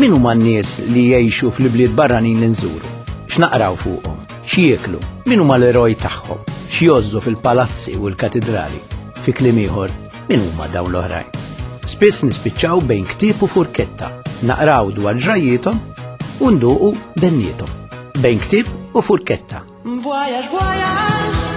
Min huma n-nies li jgħixu fl-ibliet barranin li nżuru? X'naqraw fuqhom? X'jieklu? Min huma l-eroj tagħhom? X'jgħożżu fil-palazzi u l-katidrali? Fi kliem ieħor, min huma dawn l-oħrajn? Spiss nispiċċaw bejn ktieb u furketta, naqraw dwar ġrajjiethom u nduqu benniethom. Bejn ktieb u furketta. Voyage, voyage.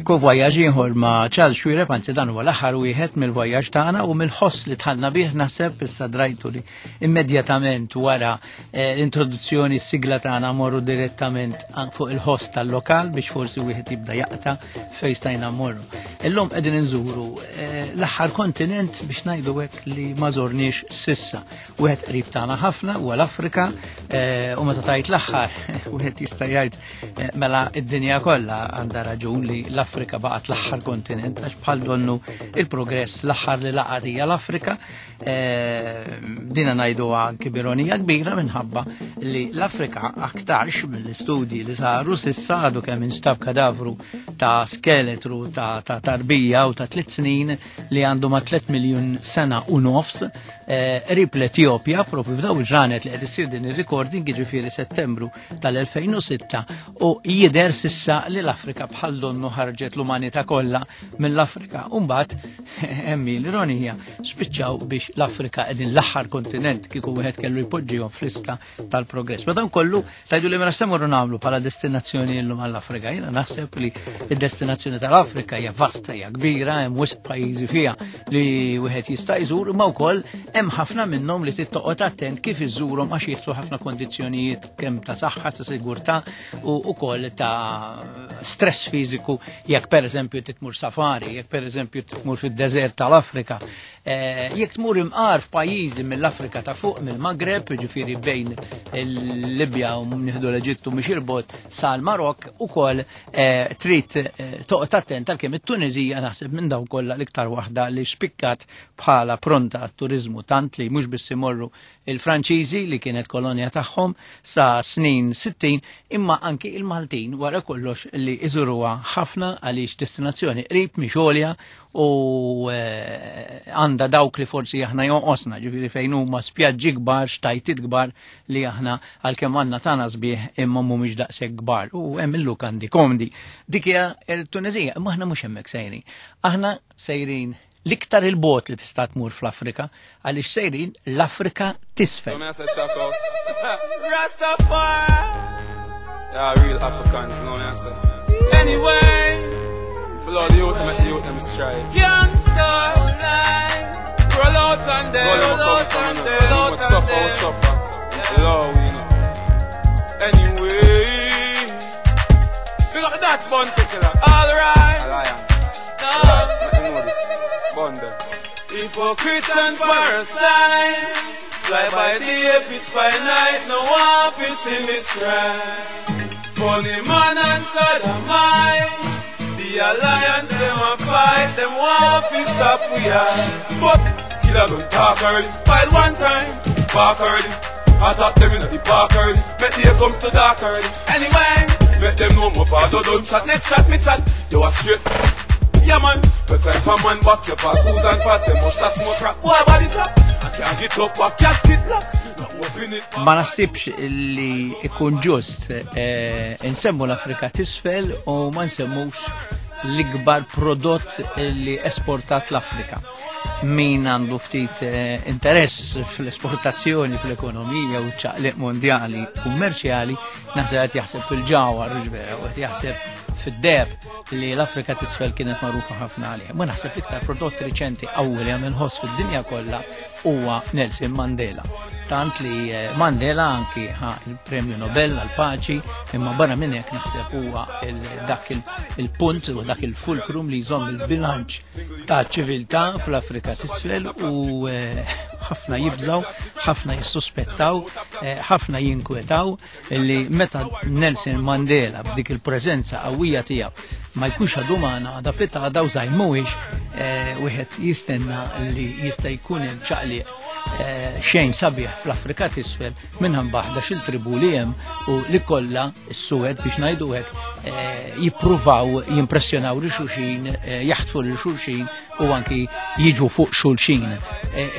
Ekku voyaġ ieħor ma' Charles Xuereb, anzi dan huwa l-aħħar wieħed mill-voyaġ tagħna u mill-ħoss li tħallna bih naħseb issa drajtu li immedjatament wara eh, l-introduzzjoni s-sigla tagħna morru direttament fuq il-ħoss tal-lokal biex forsi wieħed jibda jaqta' fejn stajna morru. Illum qegħdin inżuru eh, l-aħħar kontinent biex ngħidu hekk li ma żorniex sissa. Wieħed qrib tagħna ħafna huwa l-Afrika eh, u meta tajt l-aħħar wieħed jista' jgħid Eh, mela id-dinja kollha għandha raġun li l-Afrika baqgħet l-aħħar kontinent għax bħal donnu il-progress l-aħħar li laqgħet hija l-Afrika. Eh, dina ngħidu anki b'ironija kbira minħabba li l-Afrika aktarx mill-istudji li saru sissa għadu kemm instab kadavru ta' skeletru ta' tarbija u ta' tliet snin li għandu ma' 3 miljun sena u nofs eh, qrib l-Etjopja, propju f'daw il-ġranet li qed issir din ir-recording, jiġifieri Settembru tal-2006 u jidher sissa li l-Afrika bħal donnu ħarġet l-umanità kollha mill-Afrika. U mbagħad hemm l-ironija spiċċaw biex l-Afrika qegħdin l-aħħar kontinent kieku wieħed kellu jpoġġihom fl-lista tal-progress. Ma dan kollu tajdu li mela semmurru nagħmlu bħala destinazzjoni llum għall-Afrika. Jiena naħseb li d-destinazzjoni tal-Afrika hija vasta, hija kbira, hemm wisq pajjiżi fiha li wieħed jista' jżur, imma wkoll hemm ħafna minnhom li trid toqgħod attent kif iżżurhom għax jidħlu ħafna kondizzjonijiet kemm ta' saħħa, ta' sigurtà u wkoll ta' stress fiżiku jekk pereżempju titmur safari, jekk pereżempju titmur fid-deżert tal-Afrika. Eh, jekk tmur imqar f'pajjiżi mill-Afrika ta' fuq, mill-Magreb, ġifieri bejn il-Libja u nieħdu l-Eġittu mhix il-bot sal-Marok, ukoll eh, trid eh, toqgħod attent għalkemm it-Tuniżija naħseb minn dawn kollha l-iktar waħda li spikkat bħala pronta għat-turiżmu tant li mhux biss imorru il-Franċiżi li kienet kolonja tagħhom sa snin 60 imma anki il-Maltin wara kollox li iżuruha ħafna għaliex destinazzjoni qrib mhix għolja u eh, għandha dawk li forsi aħna jonqosna, ġifieri fejn huma spjaġġi kbar, xtajtiet kbar li aħna għalkemm għandna tagħna sbieħ imma mhumiex daqshekk kbar u hemm il-lukandi komdi. Dik hija l-Tunezija, imma aħna mhux hemmhekk sejrin. Aħna sejrin l-iktar il-bot li tista' tmur fl-Afrika għaliex sejrin l-Afrika tisfel. Yeah, real Africans, no answer. Anyway, for all the youth, make the youth them strive. Youngsters, roll out and them, roll out and them, roll out and them. Suffer, suffer. Love, you know. Anyway, we got that's one particular. All right. Alliance. No. Right, let me know this. Bun them. Hypocrites and parasites. Fly by day, pitch by night. No one fi see me strike. Funny man and sodomite. The alliance them a fight. Them want fi stop we are. But killer don't talk already. File one time, bark already. I thought them inna the park already. Make day comes to dark already. Anyway, make them know my father don't chat. Next chat me chat. You a straight. Yeah man, we climb a man back. You pass Susan fat. Them must a smoke crack. Boy body chop. I can't get up back casket lock. Not open it. Ma naħsibx li ikun ġust eh, nsemmu l-Afrika tisfel u ma nsemmux l-ikbar prodott li esportat l-Afrika. Min għandu ftit eh, interess fl-esportazzjoni, fl-ekonomija u ċaqliq mondjali kummerċjali, naħseb qed jaħseb fil-ġawar, vera, u qed jaħseb fid-deheb li l-Afrika tisfel kienet magħrufa ħafna għalih. Ma naħseb l-iktar prodott riċenti qawwi li għamel ħoss fid-dinja kollha huwa Nelson Mandela. Tant li eh, Mandela anki ħa il-Premju Nobel għal-paċi, imma barra minn hekk naħseb huwa dak il-punt u dak il-fulkrum li jżomm il-bilanċ ta' ċiviltà fl-Afrika tisfel u eh, Ħafna jibżaw, ħafna jissuspettaw, eh, ħafna jinkwetaw li meta Nelson Mandela b'dik il-preżenza qawwija tiegħu ma jkunx għadu magħna għada pitgħada u żgħir mhuwiex eh, wieħed jistenna li jista' jkun hemm ċaqliq eh, xejn sabiħ fl-Afrika t'isfel minħabba ħdax il-tribu li hemm u li kollha s-suwed biex ngħidu hekk eh, jippruvaw jimpressjonaw lil xulxin, jaħtfu lil xulxin u anki jiġu fuq xulxin.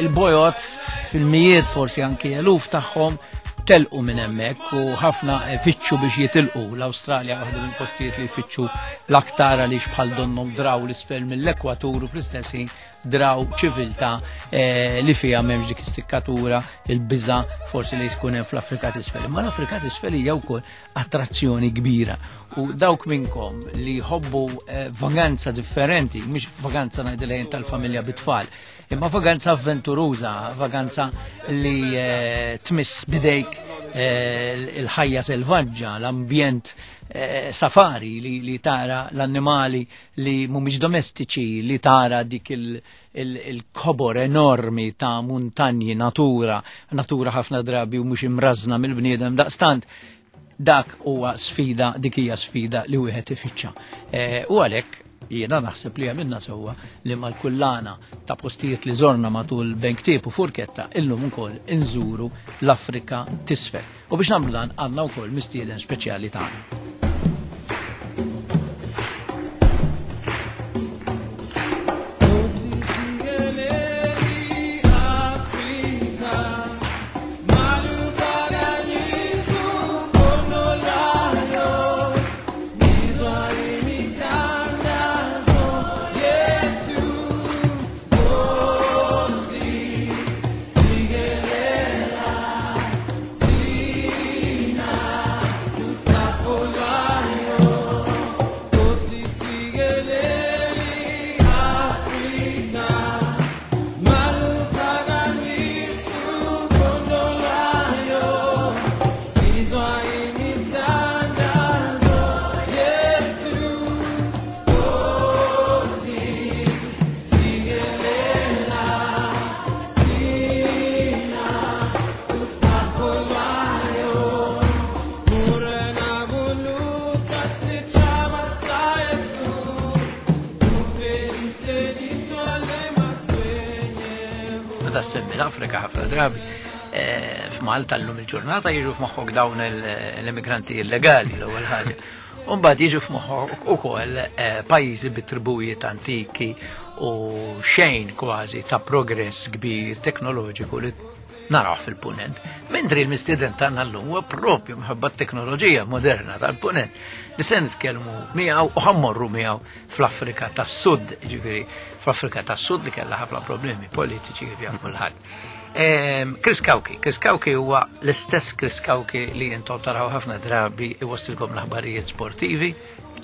Il-bojot fil-mijiet forsi anki eluf tagħhom telqu minn hemmhekk u ħafna fittxu biex jitilqu. L-Awstralja waħda minn postijiet li jfittxu l-aktar għaliex bħal donnhom draw l-isfel mill-ekwatur u fl-istess ħin draw ċiviltà eh, li fiha m'hemmx dik is-sikkatura, il-biża forsi li jkun hemm fl-Afrika t'isfel. Imma l-Afrika t'isfel hija wkoll attrazzjoni kbira u dawk minnkom li jħobbu eh, vaganza differenti, mhux vaganza ngħidilha tal-familja bit-tfal, Imma vaganza avventuruża, vaganza li eh, tmiss bidejk eh, il-ħajja selvaġġa, l-ambjent eh, safari li, li tara l-annimali li mhumiex domestiċi, li tara dik il-kobor il enormi ta' muntanji, natura, natura ħafna drabi u mhux imrażna mill-bniedem daqstant dak huwa sfida, dik hija sfida li wieħed ifittxa. Eh, u għalhekk jiena naħseb li għamilna sewwa li mal-kullana ta' postijiet li żorna matul Benktib u Furketta illum ukoll inżuru l-Afrika t'isfel. U biex nagħmlu dan għandna wkoll mistieden speċjali tagħna. Meta semmi l-Afrika ħafna drabi, eh, f'Malta llum il-ġurnata jiġu f'moħħok dawn l-immigranti illegali l-ewwel ħaġa. Umbagħad jiġu f'moħħok ukoll eh, pajjiżi bi tribujiet antiki u xejn kważi ta' progress kbir teknoloġiku li naraw fil-punent. Mentri l-mistieden tagħna llum huwa propju mħabba t-teknoloġija moderna tal-punent li se nitkellmu miegħu u ħammorru miegħu fl-Afrika tas-Sud, ġifieri fl-Afrika tas-Sud li kellha ħafna problemi politiċi kif jaf kulħadd. Ehm, Chris Cauchi, Chris Cauchi huwa l-istess Chris Cauchi li intom taraw ħafna drabi iwassilkom l-aħbarijiet sportivi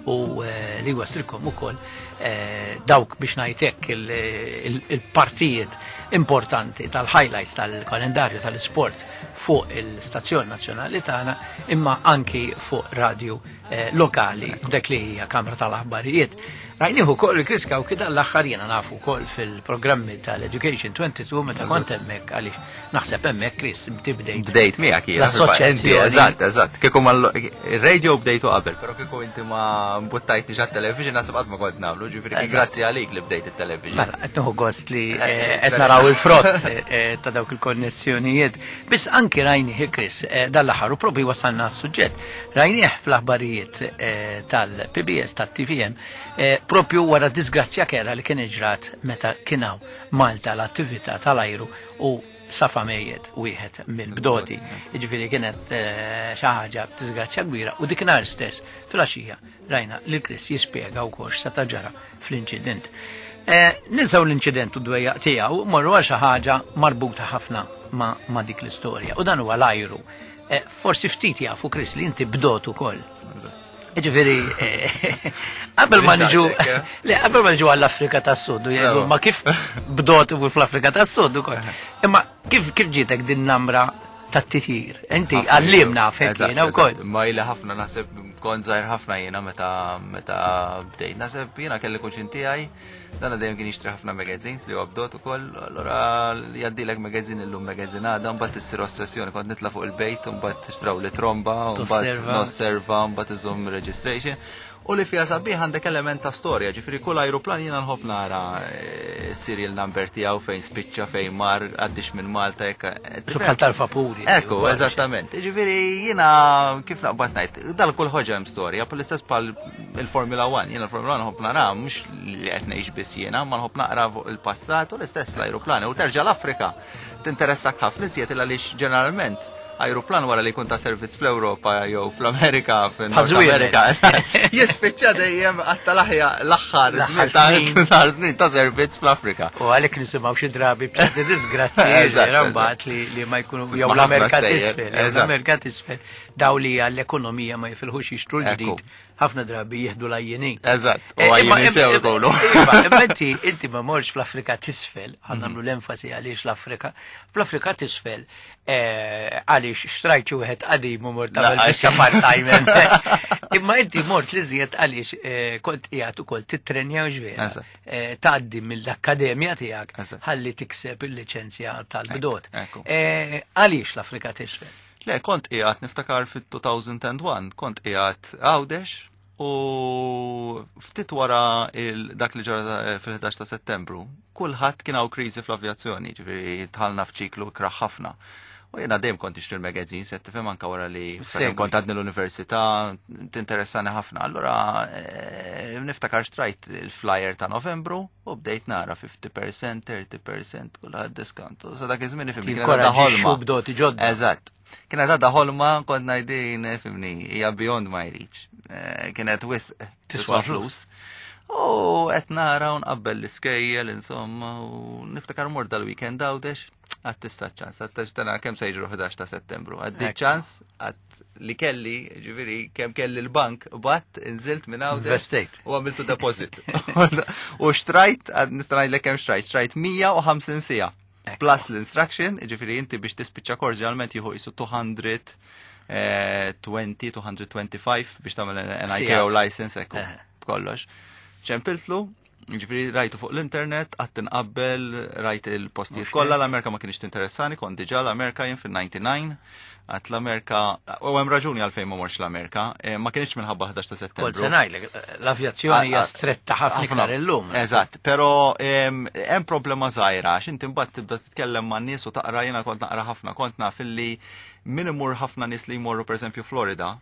u eh, li jwassilkom ukoll eh, dawk biex ngħidlek il-partijiet importanti tal-highlights tal-kalendarju tal-isport fuq il-stazzjon nazzjonali tagħna imma anki fuq radju eh, lokali dak li hija Kamra tal-Aħbarijiet. Rajnieh ukoll il-Chris Cauchi dan l-aħħar jiena nafu wkoll fil-programmi tal-Education 22 meta kont hemmhekk għaliex naħseb hemmhekk Chris tibdejt. Bdejt miegħek jiena. L-assoċjazzjoni. Eżatt, eżatt. Kieku mal radio bdejtu qabel, però kieku inti ma mbuttajtni għat-television naħseb qatt ma kont nagħmlu, ġifieri grazzi għalik li bdejt it-television. Mela, qed nieħu gost li eh, qed naraw il-frott eh, ta' dawk il-konnessjonijiet. Biss anki rajnieh Chris dan l-aħħar u propju wasalna għas-suġġett. Rajnieh fl-aħbarijiet tal-PBS tat-TVM propju wara disgrazzja kera li kien ġrat meta kien hawn Malta l-attività tal-ajru u safa mejjet wieħed mill-bdoti. Ġifieri kienet xi ħaġa disgrazzja kbira u dik nhar stess fil-għaxija rajna li Chris jispjega wkoll x'seta' ġara fl-inċident. Ninsaw l-inċident u d-dwejjaq tiegħu morru għal xi ħaġa marbuta ħafna ma, ma dik l-istorja u dan huwa l-ajru. Forsi ftit jafu Chris li inti bdot ukoll. Ġifieri, qabel ma niġu, le, qabel ma niġu għall-Afrika tas-Sud, u jgħidu, ma kif bdot u fl-Afrika tas-Sud ukoll. Imma kif kif ġietek din namra tat-titjir? Inti għallimna fek jiena wkoll. Ma ili ħafna naħseb kont żgħir ħafna jiena meta meta bdejt. Naħseb jiena kelli kuġin tiegħi. Dana dejjem kien jixtri ħafna magazines li huwa bdot ukoll, allura jgħaddilek magazine illum magazine għada, mbagħad issir ossessjoni, kont nitla' fuq il-bejt, mbagħad tixtraw li tromba, mbagħad nosserva, mbagħad iżomm registration. U li fiha sabiħ għandek element ta' storja, ġifieri kull ajruplan jiena nħobb nara eh, serial number tiegħu fejn spiċċa fejn mar għaddix minn Malta jekk. Eh, bħal tal-vapuri. Ekku, eżattament. Ġifieri jiena kif naqbad ngħid, dal kull ħoġa hemm storja, pal istess bħal il-Formula 1, jiena l-Formula 1 nħobb nara mhux li qed ngħix biss jiena, ma nħobb naqra fuq il-passat u l-istess l-ajruplani u terġa' l-Afrika. Tinteressak ħafna iżjed għaliex ġeneralment ajruplan wara li jkun ta' servizz fl-Ewropa jew fl-Amerika, fin-Nord Amerika, jispiċċa dejjem għatta l-aħja l-aħħar żmien ta' snin ta' servizz fl-Afrika. U għalhekk nisimgħu xi drabi b'ċerti disgrazzji mbagħad li ma jkunu jew l-Amerika t'isfel, l-Amerika t'isfel daw li għall-ekonomija ma jifilħux jixtru l-ġdid ħafna drabi jieħdu l-għajjinin. Eżatt, u eh, għajjinin sew ikunu. Iva, imma inti inti ma morx fl-Afrika tisfel, ħan mhm. nagħmlu l-enfasi għaliex l-Afrika, fl-Afrika tisfel eh, għaliex xtrajt xi wieħed qadim u mort tagħmel biċċa part-time. Imma inti mort li żjed għaliex eh, kont qiegħed ukoll titrenja u ġvera. Tgħaddi mill-akkademja tiegħek ħalli tikseb il-liċenzja tal-bdot. Għaliex l-Afrika tisfel? Le, kont qiegħed niftakar fit-2001, kont qiegħed Għawdex u ftit wara dak li ġara eh, fil-11 ta' Settembru, kulħadd kien hawn kriżi fl-avjazzjoni, ġifieri tħallna f'ċiklu ikrah ħafna. U jiena dejjem kont nixtri l-magazines, qed tifhem anke wara li kont għadni l-università, tinteressani ħafna. Allura eh, niftakar xtrajt il-flyer ta' Novembru u bdejt nara 50%, 30%, kulħadd discount. U sa dak iż-żmien ifhimni kienet għadha ħolma. Bdoti ġodda. Eżatt. Kienet għadha ħolma kont ngħidin ifhimni hija beyond my reach. Eh, kienet wisq tiswa flus. U qed nara u nqabbel l-iskejjel insomma u niftakar mort dal-weekend għawdex għad tista' ċans, għad tana kemm se jiġru 11 ta' Settembru. Għaddi ċans għad li kelli, ġifieri kemm kelli l-bank, bat inżilt minn hawn. U għamiltu deposit. U xtrajt, nista' ngħidlek kemm xtrajt, xtrajt 150 sija. Plus l-instruction, ġifieri inti biex tispiċċa kors ġeneralment jieħu jisu 220, 225 biex tagħmel an ICAO license ekku kollox. ċempiltlu, Ġifieri rajtu fuq l-internet, qatt tinqabbel, rajt il-postijiet kollha, l-Amerika ma kienx tinteressani, kont diġà l-Amerika jien fil-99, għat l-Amerika, u hemm raġuni għalfejn ma morx l-Amerika, eh, ma kienx minħabba 11 ta' settembru. Kont se ngħidlek, l-avjazzjoni hija stretta ħafna iktar illum. Eżatt, però hemm problema żgħira għax inti mbagħad tibda titkellem man nies u taqra jiena kont naqra ħafna, kont naf illi min imur ħafna nies li jmorru pereżempju Florida,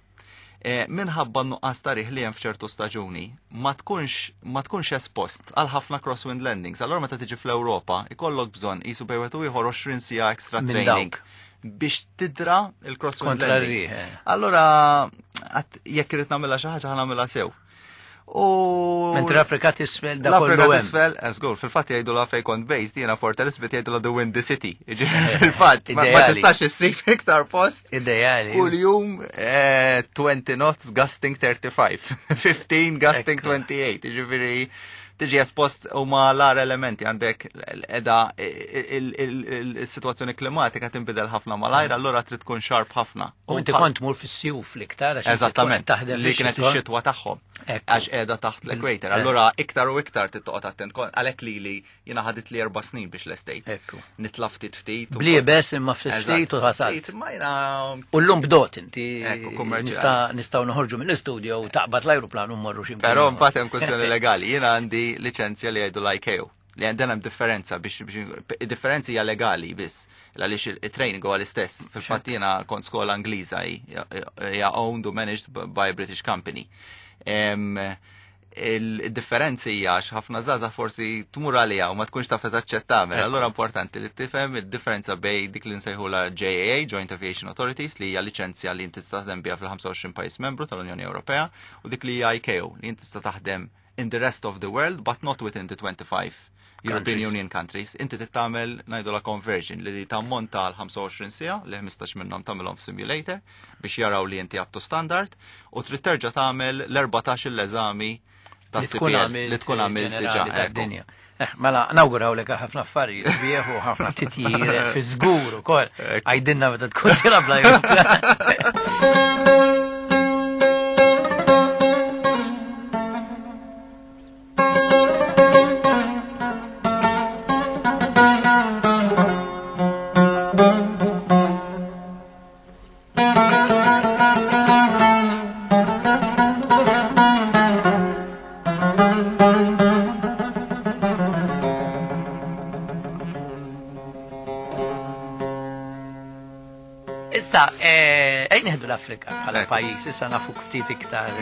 Eh, minħabba nuqqas ta' riħ li hemm f'ċertu staġuni, ma tkunx ma tkunx espost għal ħafna crosswind landings. Allora meta tiġi fl-Ewropa, ikollok bżonn qisu bejn wieħed u ieħor 20 siegħa extra training biex tidra il-crosswind landing. Eh. Allora jekk irid nagħmilha xi ħaġa nagħmilha sew. U Mentri l-Afrika tisfel da kollu L-Afrika tisfel, żgur, fil-fatt jgħidu la fejn kont based, jiena Fort Elizabeth jgħidu la The Windy City. Eh, fil-fatt, ma tistax issib iktar post. Ideali. Kull jum 20 eh, knots gusting 35, 15 gusting 28, ġifieri tiġi espost huma l-ar elementi għandek edha il-situazzjoni klimatika tinbidel ħafna malajr, allura trid tkun xarp ħafna. U inti kont mur fis-sjuf l-iktar għax Eżattament, li kienet ix-xitwa tagħhom. Għax qiegħda taħt l-equator. Eh. Allura iktar u iktar tittoqgħod attent għalhekk li li jiena ħadit li erba' snin biex lestejt. Nitla ftit ftit. Bliebes imma ftit ftit u ħasalt. U llum bdot inti nistgħu noħorġu mill-istudio u taqbad l-ajruplan u mmorru xi. Però mbagħad hemm kwestjoni legali. Jiena għandi liċenzja li jgħidu l-ICAO li għandna hemm differenza biex differenzi hija legali biss għaliex il-training huwa l-istess. Fil-fatt jiena kont skola Ingliża hija owned u managed by a British company. Il-differenzi hija għax ħafna żgħażagħ forsi tmur għaliha u ma tkunx taf eżatt x'qed tagħmel. Allura importanti li tifhem id-differenza bej dik li nsejħulha JAA, Joint Aviation Authorities, li hija liċenzja li inti tista' taħdem biha fil-25 pajjiż membru tal-Unjoni Ewropea, u dik li hija ICAO, li inti tista' taħdem in the rest of the world but not within the 25 European Union countries. Inti trid tagħmel ngħidulha conversion li tammonta għal 25 siegħa li 15 minnhom tagħmilhom f'simulator biex jaraw li inti up to standard u trid terġa' tagħmel l-14 l-eżami ta' CPL li tkun għamilt diġà. Eh, mela, nawguraw lek ħafna affarijiet sbieħ u ħafna titjir eh, fi żgur ukoll. Għajdinna meta tkun tilab l Issa, ejn nieħdu l-Afrika bħala pajjiż, issa nafu ftit iktar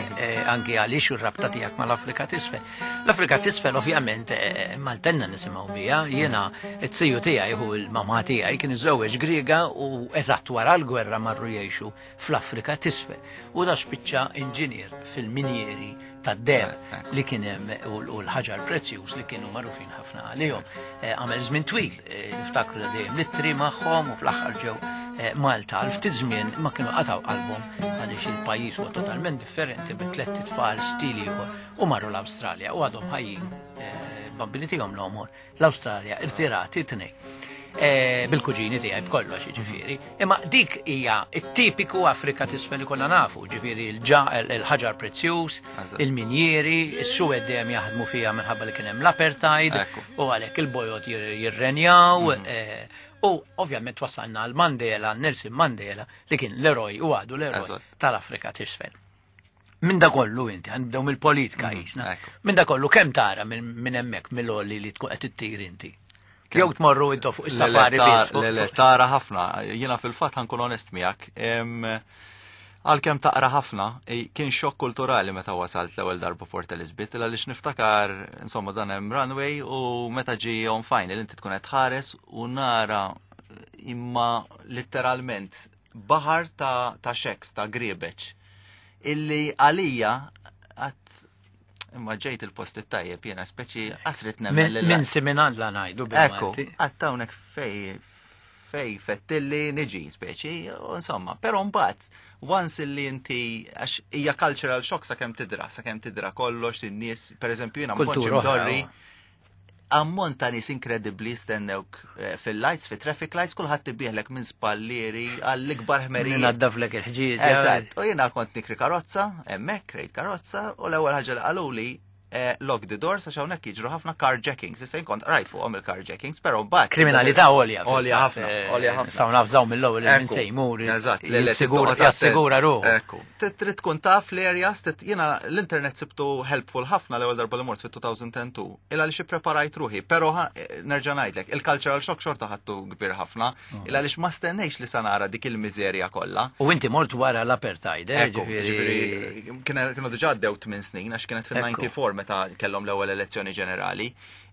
anki għaliex u r-rabta tiegħek mal-Afrika t'isfel. L-Afrika t'isfel ovvjament Maltenna nisimgħu biha, jiena t-siju tiegħi hu l-mamà tiegħi kien iżżewweġ Griega u eżatt wara l-gwerra marru jgħixu fl-Afrika t'isfel. U da spiċċa inġinier fil-minjieri tad-deheb li kien hemm u l-ħaġar prezzjuż li kienu magħrufin ħafna għalihom. Għamel żmien twil, niftakru da dejjem l-ittri magħhom u fl-aħħar ġew Malta għal ftit żmien ma kienu qataw qalbhom għaliex il-pajjiż huwa totalment differenti bi tlett itfal stil ieħor u marru l-Awstralja u għadhom ħajjin bambini tiegħhom l-omor l-Awstralja irtirati tnej. Bil-kuġini tiegħi b'kollox, ġifieri. Imma dik hija t-tipiku Afrika t'isfel li konna nafu, ġifieri il-ħaġar prezzjuż, il-minjieri, is-suwed dejjem jaħdmu fiha minħabba li kien hemm l-apartheid, u għalhekk il-bojod jirrenjaw, u ovvjament wasalna għal Mandela, Nelson Mandela, li kien l-eroj u għadu l-eroj tal-Afrika t'isfel. Minn da kollu inti, għandhom mill-politika jisna. Minn da kollu kemm tara minn hemmhekk mill-għoli li tkun qed ittir inti? Jew tmorru intu fuq is-safari biss. Le, le, tara ħafna. Jiena fil-fatt ħankun onest miegħek. Għalkemm taqra ħafna, kien xokk kulturali meta wasalt l-ewwel darba Port Elizabeth, għaliex niftakar, insomma, dan hemm runway u meta ġi on final inti tkun qed tħares u nara imma letteralment baħar ta' shacks, ta' griebeċ, illi għalija għat imma ġejt il-post it-tajjeb jiena speċi qasrit nemmen lil Minn simin la ngħidu bil-Malti. Ekku, għadt hawnhekk fej fettilli niġi speċi, u insomma, però mbagħad once illi inti għax hija cultural shock sakemm tidra kollox in-nies, pereżempju jiena ma kontx Kultura oħra, imdorri ammont ta' nies inkredibbli stennewk fil-lights, fit-traffic lights, kulħadd ibieħlek minn spallieri għall-ikbar ħmerija. Minn għaddaflek il-ħġieġ. Eżatt, u jiena kont nikri karozza, hemmhekk krejt karozza, u l-ewwel ħaġa li qaluli lock the doors għax hawnhekk jiġru ħafna carjackings. Issa jien kont rajt fuqhom il-carjackings, però mbagħad Kriminalità għolja. Għolja ħafna, għolja ħafna. Nistgħu nafżaw mill-ewwel li minn Ekku. se jmur, Eżatt, le, le, jissigura, toqgħod attent. jassigura ruħu. Ekku. Trid tkun taf l-areas, jiena l-internet sibtu helpful ħafna l-ewwel darba li mort fit-2002, illa għaliex ippreparajt ruħi, però nerġa' ngħidlek, il-cultural shock xorta ħadtu kbir ħafna, illa għaliex ma stennejx li sa nara dik il-miżerja kollha. U inti mort wara l-apartheid, Ekku, ġifieri ġifieri, kienu diġà għaddew 8 snin, għax kienet fil-94 meta kellhom l-ewwel elezzjoni ġenerali.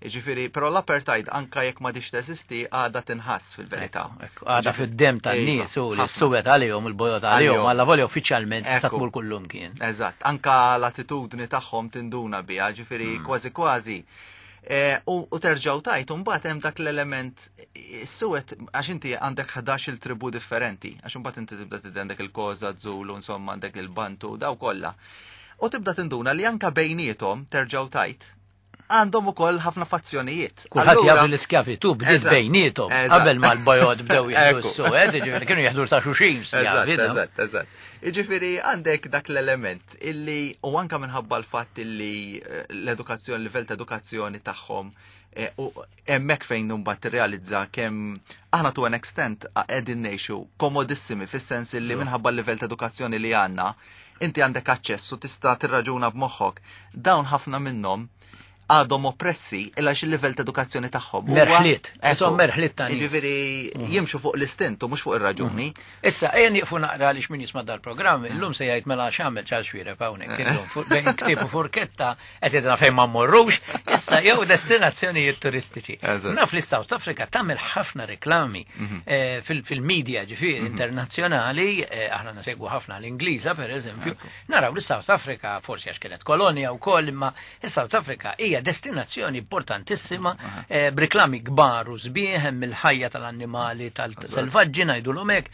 Ġifieri, però l-apartheid anka jekk ma diċ teżisti għadha tinħass fil-verità. Ekku, ekku, għadha fid-dem tan-nies u li Ħafna. s-suwed għalihom, il-bojod għalihom, Għalihom. alla volja uffiċjalment tista' Ekku. tmur kullum kien. Eżatt, anka l-attitudni tagħhom tinduna biha, ġifieri kważi kważi. U terġgħu tajt, u mbagħad hemm dak l-element is-suwed, għax inti għandek 11 il tribu differenti, għax imbagħad inti tibda tiddi għandek il-Xhosa, Zulu, insomma għandek il-Bantu, daw kollha. U tibda tinduna li anka bejniethom terġgħu tajt għandhom ukoll ħafna fazzjonijiet. Kulħadd Allura jaf l-iskjavitu bdiet Eżatt, bejniethom eżatt. qabel ma l-bojod bdew jieħdu Ekku. s-suwed, jiġifieri kienu jieħdu ta' xulxin Eżatt, skjavi, no? eżatt, eżatt. Jiġifieri għandek dak l-element illi u anka minħabba l-fatt illi l-edukazzjoni, l-livell ta' edukazzjoni tagħhom u hemmhekk fejn mbagħad tirrealizza kemm aħna to an extent qegħdin ngħixu komodissimi fis-sens illi minħabba l-livell ta' edukazzjoni li għandna, inti għandek aċċess u tista' tirraġuna b'moħħok. Dawn ħafna minnhom għadhom oppressi illa xi livell ta' edukazzjoni tagħhom. Huwa- Merħliet, Ekku. isom merħliet ta' nies. Jiġifieri jimxu fuq l-istint u mhux fuq ir-raġuni. Issa, ejja nieqfu naqra għaliex min jisma' dal-programm, illum se jgħid mela x'għamel Charles Xuereb hawnhekk illum bejn ktieb u furketta qed jgħidilna fejn ma mmorrux, issa jew destinazzjonijiet turistiċi. Eżatt. Naf li South Africa tagħmel ħafna reklami fil-media ġifieri internazzjonali, aħna nasegwu ħafna l-Ingliża pereżempju, naraw li South Africa forsi għax kienet kolonja wkoll, imma is-South Africa hija destinazzjoni importantissima b'reklami kbar u sbieħ, hemm il-ħajja tal-annimali tal-selvaġġi ngħidulhom hekk,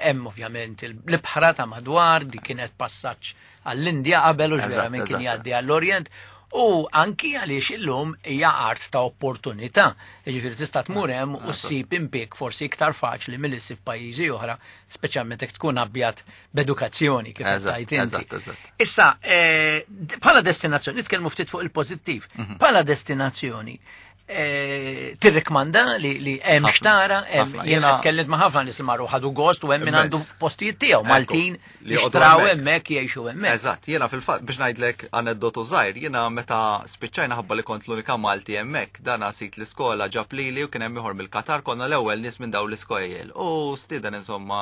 hemm ovvjament l-ibħra ta' madwar, di kienet passaġġ għall-Indja qabel u ġvera minn kien jgħaddi għall-Orjent. U anki għaliex illum hija art ta' opportunità. Jiġifieri tista' tmur hemm u ssib impjieg forsi iktar faċli milli ssib f'pajjiżi oħra, speċjalment jekk tkun abjad b'edukazzjoni kif qed tgħid inti. Issa, bħala destinazzjoni, nitkellmu ftit fuq il-pożittiv. Bħala destinazzjoni, Tirrikmanda li hemm xtara, hemm jiena tkellimt ma' ħafna nies li marru ħadu gost u hemm min għandu postijiet tiegħu Maltin li xtraw hemmhekk jgħixu hemmhekk. Eżatt, jiena fil-fatt biex ngħidlek aneddotu żgħir, jiena meta spiċċajna ħabba li kont l-unika Malti hemmhekk, dan sit l-iskola ġab lili u kien hemm ieħor mill-Qatar konna l-ewwel nies minn dawn l-iskojjel. U stieden insomma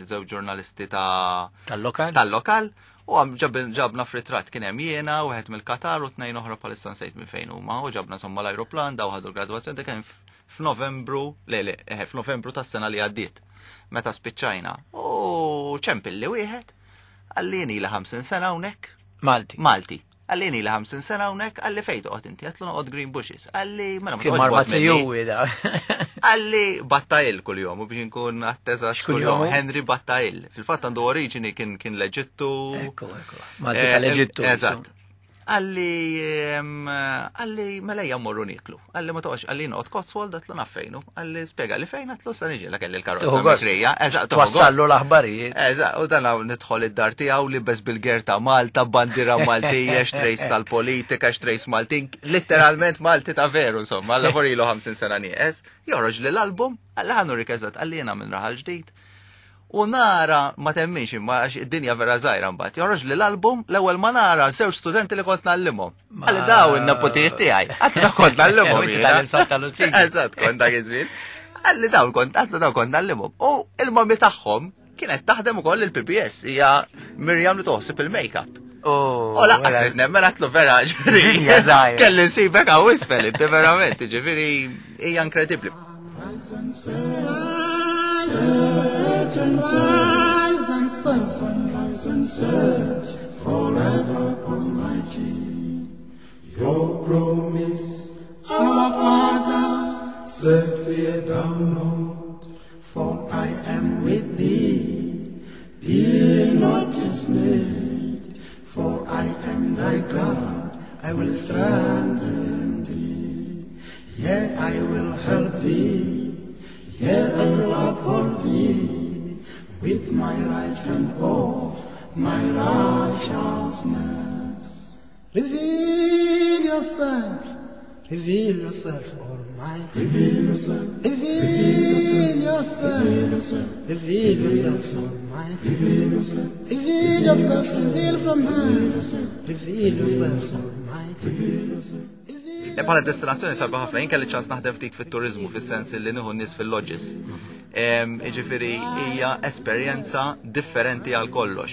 żewġ ġurnalisti ta' tal-lokal. Tal-lokal. U għam ġabna f'ritratt kien hemm jiena, wieħed mill-Qatar u tnejn oħra bħalissa nsejt minn fejn huma, u ġabna insomma l-ajruplan daw ħadu l-gradwazzjoni dak kien f'Novembru, le le, eh, f'Novembru tas-sena li għaddiet. Meta spiċċajna. U ċempilli wieħed, għallini li 50 sena hawnhekk. Malti. Malti. Għalli ili 50 sena hawnhekk, għalli fejn toqgħod inti, għatlu noqgħod Green Bushes. Għalli mela ma toqgħodx. Marma tiegħu da. Għalli Battajl kuljum u biex inkun atteza kuljum Henry Battajl. Fil-fatt għandu oriġini kien kien l-Eġittu. Ekku, ekku. Malti eh, tal-Eġittu. Eżatt. Għalli għalli mela ejja mmorru nieklu. Għalli ma toqgħodx għalli noqgħod Cotswold għatlu naf fejnu. Għalli spjega li fejn għatlu sa niġi la kelli l-karozza mikrija. Eżatt, twassallu l-aħbarijiet. Eżatt, u dan hawn nidħol id-dar tiegħu li bez bil-ger ta' Malta, bandiera Maltija, xtrejs tal-politika, xtrejs Maltin, letteralment Malti ta' veru insomma, għalla ilu 50 sena nieqes, joħroġ li l-album, għalli ħanu rikeżat, għalli jiena minn raħal ġdid. U nara, ma temminx imma għax id-dinja vera żgħira mbagħad. Joħroġ li l-album l-ewwel ma nara żewġ studenti li kont nallimhom. Għalli daw in-nepotijiet tiegħi. Għatlu kont nallimhom. Eżatt, kont dak iż-żmien. Għalli daw kont għatlu daw kont nallimhom. U il-mami tagħhom kienet taħdem ukoll il-PBS hija Mirjam li toħsib il-makeup. Oh, U laqqas mela. nemmen għatlu vera ġifieri. Kelli nsibek għaw isfel, inti verament, ġifieri hija inkredibbli. Forever Almighty, your promise, our Father, said, Fear thou not, for I am with thee. Be not dismayed, for I am thy God, I will strengthen thee. Yea, I will help thee, yea, I will uphold thee, with my right hand of my righteousness. Reveal yourself, reveal yourself, Almighty. Reveal yourself, reveal yourself, reveal yourself, reveal yourself, Almighty. Reveal yourself, reveal yourself, reveal from heaven. Reveal yourself, Almighty. Reveal yourself. Le bħala destinazzjoni sabiħ ħafna, jien kelli ċans naħdem ftit fit-turiżmu fis-sens li nieħu nies fil-lodges. Jiġifieri hija esperjenza differenti għal kollox.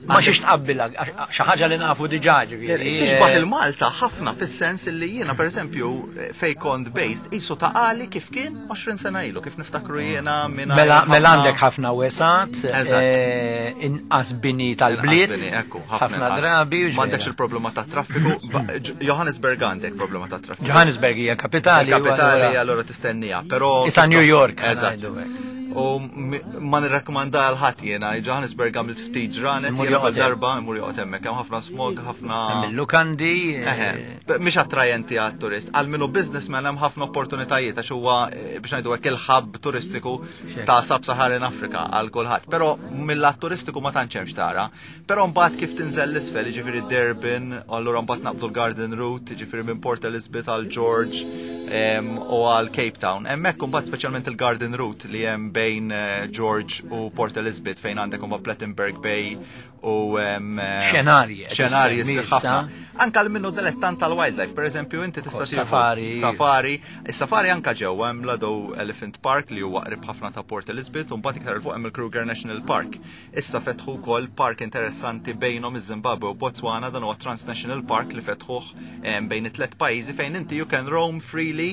Ma xiex tqabbilha, xi ħaġa li nafu diġà ġifieri. Tixbaħ il-Malta ħafna fis-sens li jiena pereżempju fej kont based qisu ta' għali kif kien 20 sena ilu, kif niftakru jiena minn Mela, mela għandek ħafna wesat, inqas bini tal-bliet, ħafna drabi. M'għandekx il-problema ta' traffiku. Johannesburg għandek problema ta' traffiku. Johannesburg hija kapitali. Kapitali allura tistennija, però Isa New York. Eżatt. U ma nirrakkomanda għal ħadd jiena, Johannesburg għamilt ftit ġranet, jiena kull darba imur joqgħod hemmhekk, hemm ħafna smog, ħafna. Hemm il-lukandi. Eh, mhix attrajenti għat-turist. Għal minnu businessman hemm ħafna opportunitajiet għax huwa eh, biex ngħidu hekk il-hub turistiku ta' Sub-Saharan Africa għal kulħadd. Però mill-lat turistiku ma tantx hemm xtara. Però mbagħad kif tinżel l-isfel, jiġifieri Durban, allura mbagħad naqbdu l-Garden Route, jiġifieri minn Port Elizabeth għal George u għal Cape Town. Hemmhekk imbagħad speċjalment il-Garden Route li hemm bejn eh, George u Port Elizabeth fejn għandek imbagħad Plettenberg Bay u eh, xenarji. Xenarji ħafna. Anka l minnu dilettant tal-wildlife, per eżempju, inti tista' safari. Safari. Is-safari anka ġewwa hemm Lado Elephant Park li huwa qrib ħafna ta' Port Elizabeth u mbagħad iktar il fuq hemm il-Kruger National Park. Issa fetħu wkoll park interessanti bejnhom iż-Zimbabwe u Botswana, dan huwa Transnational Park li fetħuh bejn it-tlet pajjiżi fejn inti you can roam freely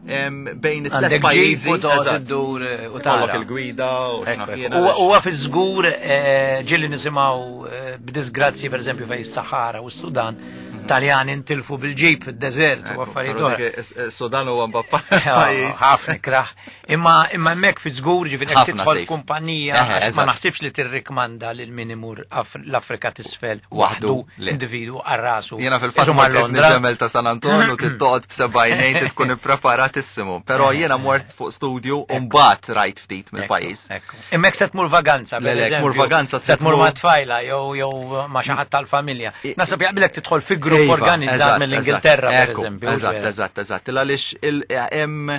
bejn it-tlet pajjiżi. Iddur eh, u tara. il-gwida u Huwa fi żgur eh, ġieli nisimgħu eh, b'disgrazzi pereżempju fejn is-Sahara u s-Sudan Taljani intilfu bil-ġib fid-deżert u affarijiet oħra. Sudan huwa pajjiż. Ħafna kraħ. Imma imma hemmhekk fi żgur ġifieri jekk tidħol kumpanija ma naħsibx li tirrikmanda lil min imur l-Afrika t'isfel waħdu individwu għal rasu. Jiena fil-fatt ma Londra. Ġemel ta' San Anton u tittoqgħod b'sebgħinejn tkun ippreparat Impressjonatissimu, però jiena mort fuq studju u mbagħad rajt ftit mill-pajjiż. Imma jekk se tmur vaganza, Le, le, tmur vaganza se tmur ma' tfajla jew jew ma' xi ħadd tal-familja. Naħseb jaqbilek tidħol fi grupp Iva, organizzat mill-Ingilterra, per eżempju. Eżatt, eżatt, eżatt. Għaliex hemm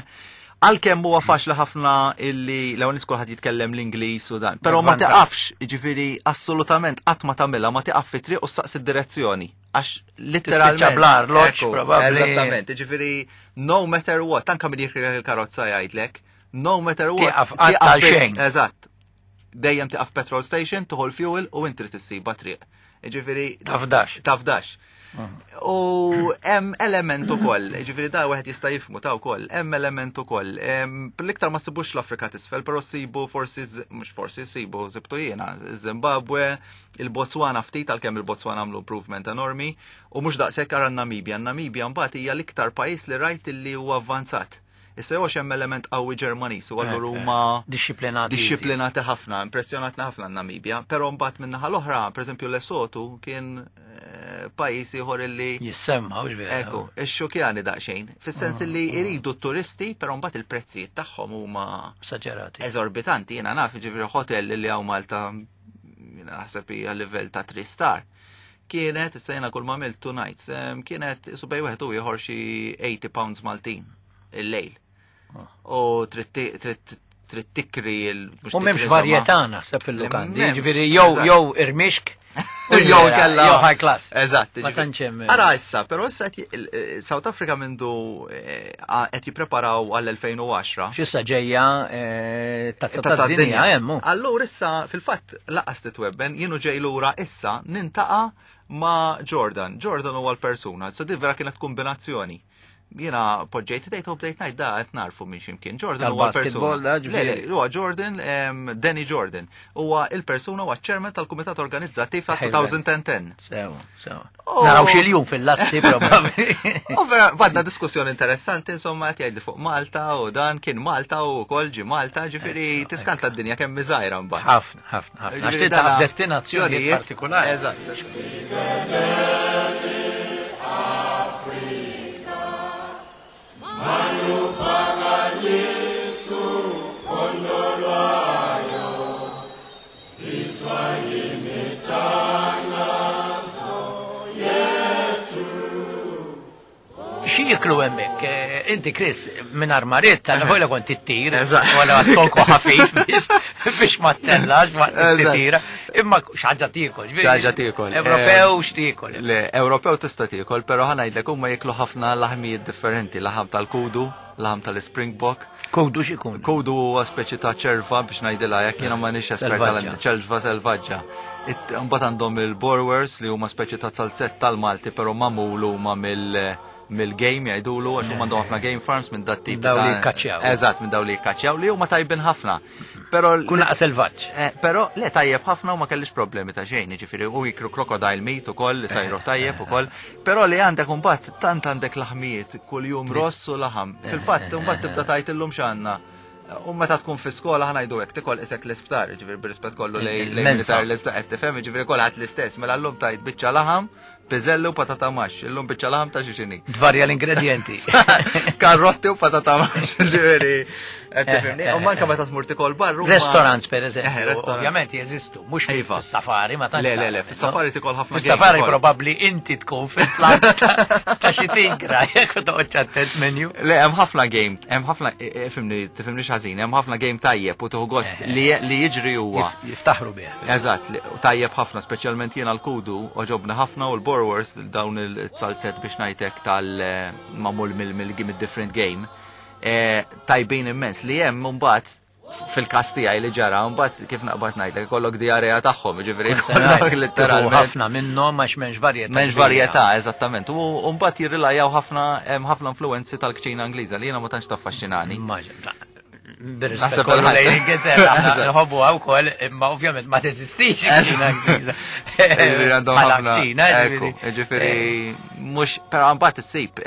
għalkemm huwa faċli ħafna illi l-ewwel nies kulħadd jitkellem l-Ingliż u dan, però ma tiqafx, jiġifieri assolutament qatt ma tagħmilha ma tiqaf fit-triq u ssaqsi d-direzzjoni. Għax literalment. Tispiċċa bl-arloġġ, probabbli. Eżattament, jiġifieri no matter what, anke min jikri il-karozza jgħidlek, no matter what. Tieqaf qatt għal xejn. Eżatt. Dejjem tiqaf petrol station, tuħu l-fuel u inti trid issibha triq. Jiġifieri Tafdax. Tafdax. U hemm element ukoll, ġifieri da wieħed jista' jifmu ta' wkoll, hemm element ukoll. L-iktar ma sibux l-Afrika t'isfel, però sibu forsi mhux forsi sibu sibtu jiena, Zimbabwe, il-Botswana ftit għalkemm il-Botswana għamlu improvement enormi, u mhux daqshekk ara n-Namibja. Namibja mbagħad hija l-iktar pajjiż li rajt li huwa avvanzat. Issa jew hemm element qawwi Ġermaniż u allura huma Dixxiplinati. Dixxiplinati ħafna, impressjonatna ħafna n-Namibja, però mbagħad min-naħa l-oħra, pereżempju Lesotho kien pajjiż ieħor illi Jissemma, hux vera. Ekku, ixxukjani daqsxejn, fis-sens illi jridu t-turisti, però mbagħad il-prezzijiet tagħhom huma Esaġerati. Eżorbitanti, jiena naf, ġifieri hotel li hawn Malta jiena naħseb hija livell ta' 3 star. Kienet, issa jiena kull ma għamilt two nights, kienet isu bej wieħed u ieħor xi 80 pounds Maltin il-lejl. U trid tikri il- mhux U m'hemmx tikri, varjetà insomma. naħseb fil-lukandi, M'hemmx, jiġifieri eżatt. jew irmixk u Jew kella. Jew high class. Eżatt, Ma jiġifieri. tantx hemm. Ara issa, però issa qed South Africa mindu qed jippreparaw għall-2010. X'issa ġejja tazza tad-dinja hemm hu. Allura issa fil-fatt laqas titwebben, jienu ġej lura issa nintaqa' ma' Jordan. Jordan huwa l-persuna, so di vera kienet kombinazzjoni. Jiena poġġejt idejt u bdejt ngħid da qed narfu minn x'imkien. Jordan huwa Tal-basketball, l-persuna. da, Le, le, ġifieri. huwa Jordan, Danny Jordan. Huwa il-persuna huwa ċ-chairman tal-Kumitat Organizzattiv ta' Ħejja. 2010. Sew, sew. Oh. Naraw xi ljum fil-lasti probabbli. U vera, badna diskussjoni interessanti, insomma, qed jgħidli fuq Malta u dan kien Malta u wkoll ġi Malta, ġifieri tiskanta d-dinja kemm miżgħira mbagħad. Ħafna, ħafna, ħafna. Għax Ġifieri taf dana destinazzjonijiet partikolari. Eżatt. Xi jiklu hemmhekk? Inti Chris minn armariet tal-vojla kont ittir, Eżatt. wala stonku ħafif biex ma ttellax ma Eżatt. titira. Imma xi ħaġa tiekol, ġifieri. Xi ħaġa tiekol. Ewropew x'tiekol? Le, Ewropew tista' tiekol, però ħa ngħidlek huma jiklu ħafna laħmijiet differenti, laħam tal-kudu, laħam tal-Springbok. Kudu x'ikun? Kudu huwa speċi ta' ċerva biex ngħidilha jekk jiena m'għandix espert Selvaġġa. ċerva selvaġġa. Imbagħad għandhom il-borwers li huma speċi ta' salzett tal-Malti, però magħmul huma mill-game jgħidulu għax huma għandhom ħafna game farms minn dat tip Daw li ta' jikkaċċjaw. Eżatt, minn daw li jikkaċċjaw li huma tajbin ħafna. Però Kun laqas selvaġġ. Però le tajjeb ħafna u ma kellix problemi ta' xejn, jiġifieri u jikru crocodile meat ukoll li sajru tajjeb ukoll, però li għandek imbagħad tant għandek laħmijiet kuljum ross u laħam. Fil-fatt imbagħad tibda tgħid illum x'għandna. U meta tkun fi skola ħa ngħidu hekk tikol isek l-isptar, jiġifieri bir-rispett kollu lejn Il-mensa. sar l-isptar qed tifhem, jiġifieri kulħadd l-istess, mela llum tajt biċċa laħam, piżellu u patata maxx, illum biċċa laħam ta' xi x'inhi. Tvarja l-ingredienti. Karrotti u patata maxx, ġifieri qed tifhimni. U manka meta tmur tikol barru. Restaurants per eżempju, Restaurants. ovvjament jeżistu, mhux Iva. fis-safari ma tantx. Le, le, le, tagħmel, fis-safari no? tikol ħafna Fis-safari game ukoll. probabbli inti tkun fil-plant ta' xi tigra, jekk toqgħodx attent menu. Le, hemm ħafna game, hemm ħafna, ifhimni, tifhimni ħażin, hemm ħafna game tajjeb u tieħu gost li jiġri huwa. Jiftaħru bih. Eżatt, u tajjeb ħafna, speċjalment jiena l-kudu, oġobna ħafna u l-borwers, dawn il-salzet biex ngħidlek tal-mamul mill-different game, tajbin immens li hemm mbagħad fil-każ tiegħi li ġara, mbagħad kif naqbad ngħidlek ikollok diarrea tagħhom, jiġifieri ikollok literalment. Ħafna minnhom għax m'hemmx varjetà. M'hemmx varjetà, eżattament. U mbagħad jirrilajaw ħafna hemm ħafna influenzi tal-kċina Ingliża li jiena ma tantx taffaxxinani. Bir-rispett Naħseb kollu kulħadd. lejn Ingilterra, aħna Eżatt. nħobbuha wkoll, imma ovvjament ma teżistix il-kċina Ingliża. Jiġifieri għandhom Bħala ħafna. kċina, Ekku, jiġifieri. jiġifieri Mhux, però mbagħad issib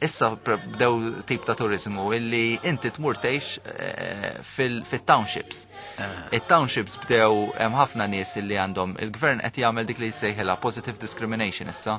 issa bdew tip ta' turizmu illi inti tmur tgħix eh, fit-townships. Ah. It-townships bdew hemm ħafna nies illi għandhom il-gvern qed jagħmel dik li jsejħilha positive discrimination issa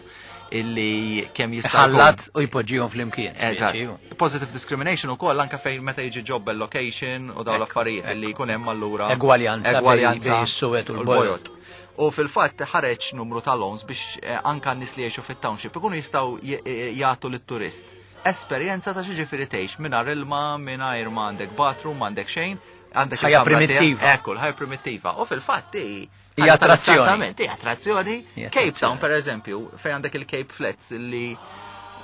illi kemm jista' Ħallat u jpoġġihom flimkien. Eżatt. Positive discrimination ukoll anke fejn meta jiġi job allocation u dawn l-affarijiet illi jkun hemm allura egwaljanza egwaljanza is-suwed u l-bojod. U fil-fatt ħareġ numru ta' loans biex eh, anka n-nies li jgħixu fit-township ikunu jistgħu eh, jagħtu lit-turist esperjenza ta' xi tgħix mingħajr ilma, mingħajr ma għandek bathroom, m'għandek xejn, għandek ħajja primittiva. Ekku, ħajja primittiva. U fil-fatt hija attrazzjoni. Hija attrazzjoni. Cape Town per eżempju, fejn għandek il-Cape Flats li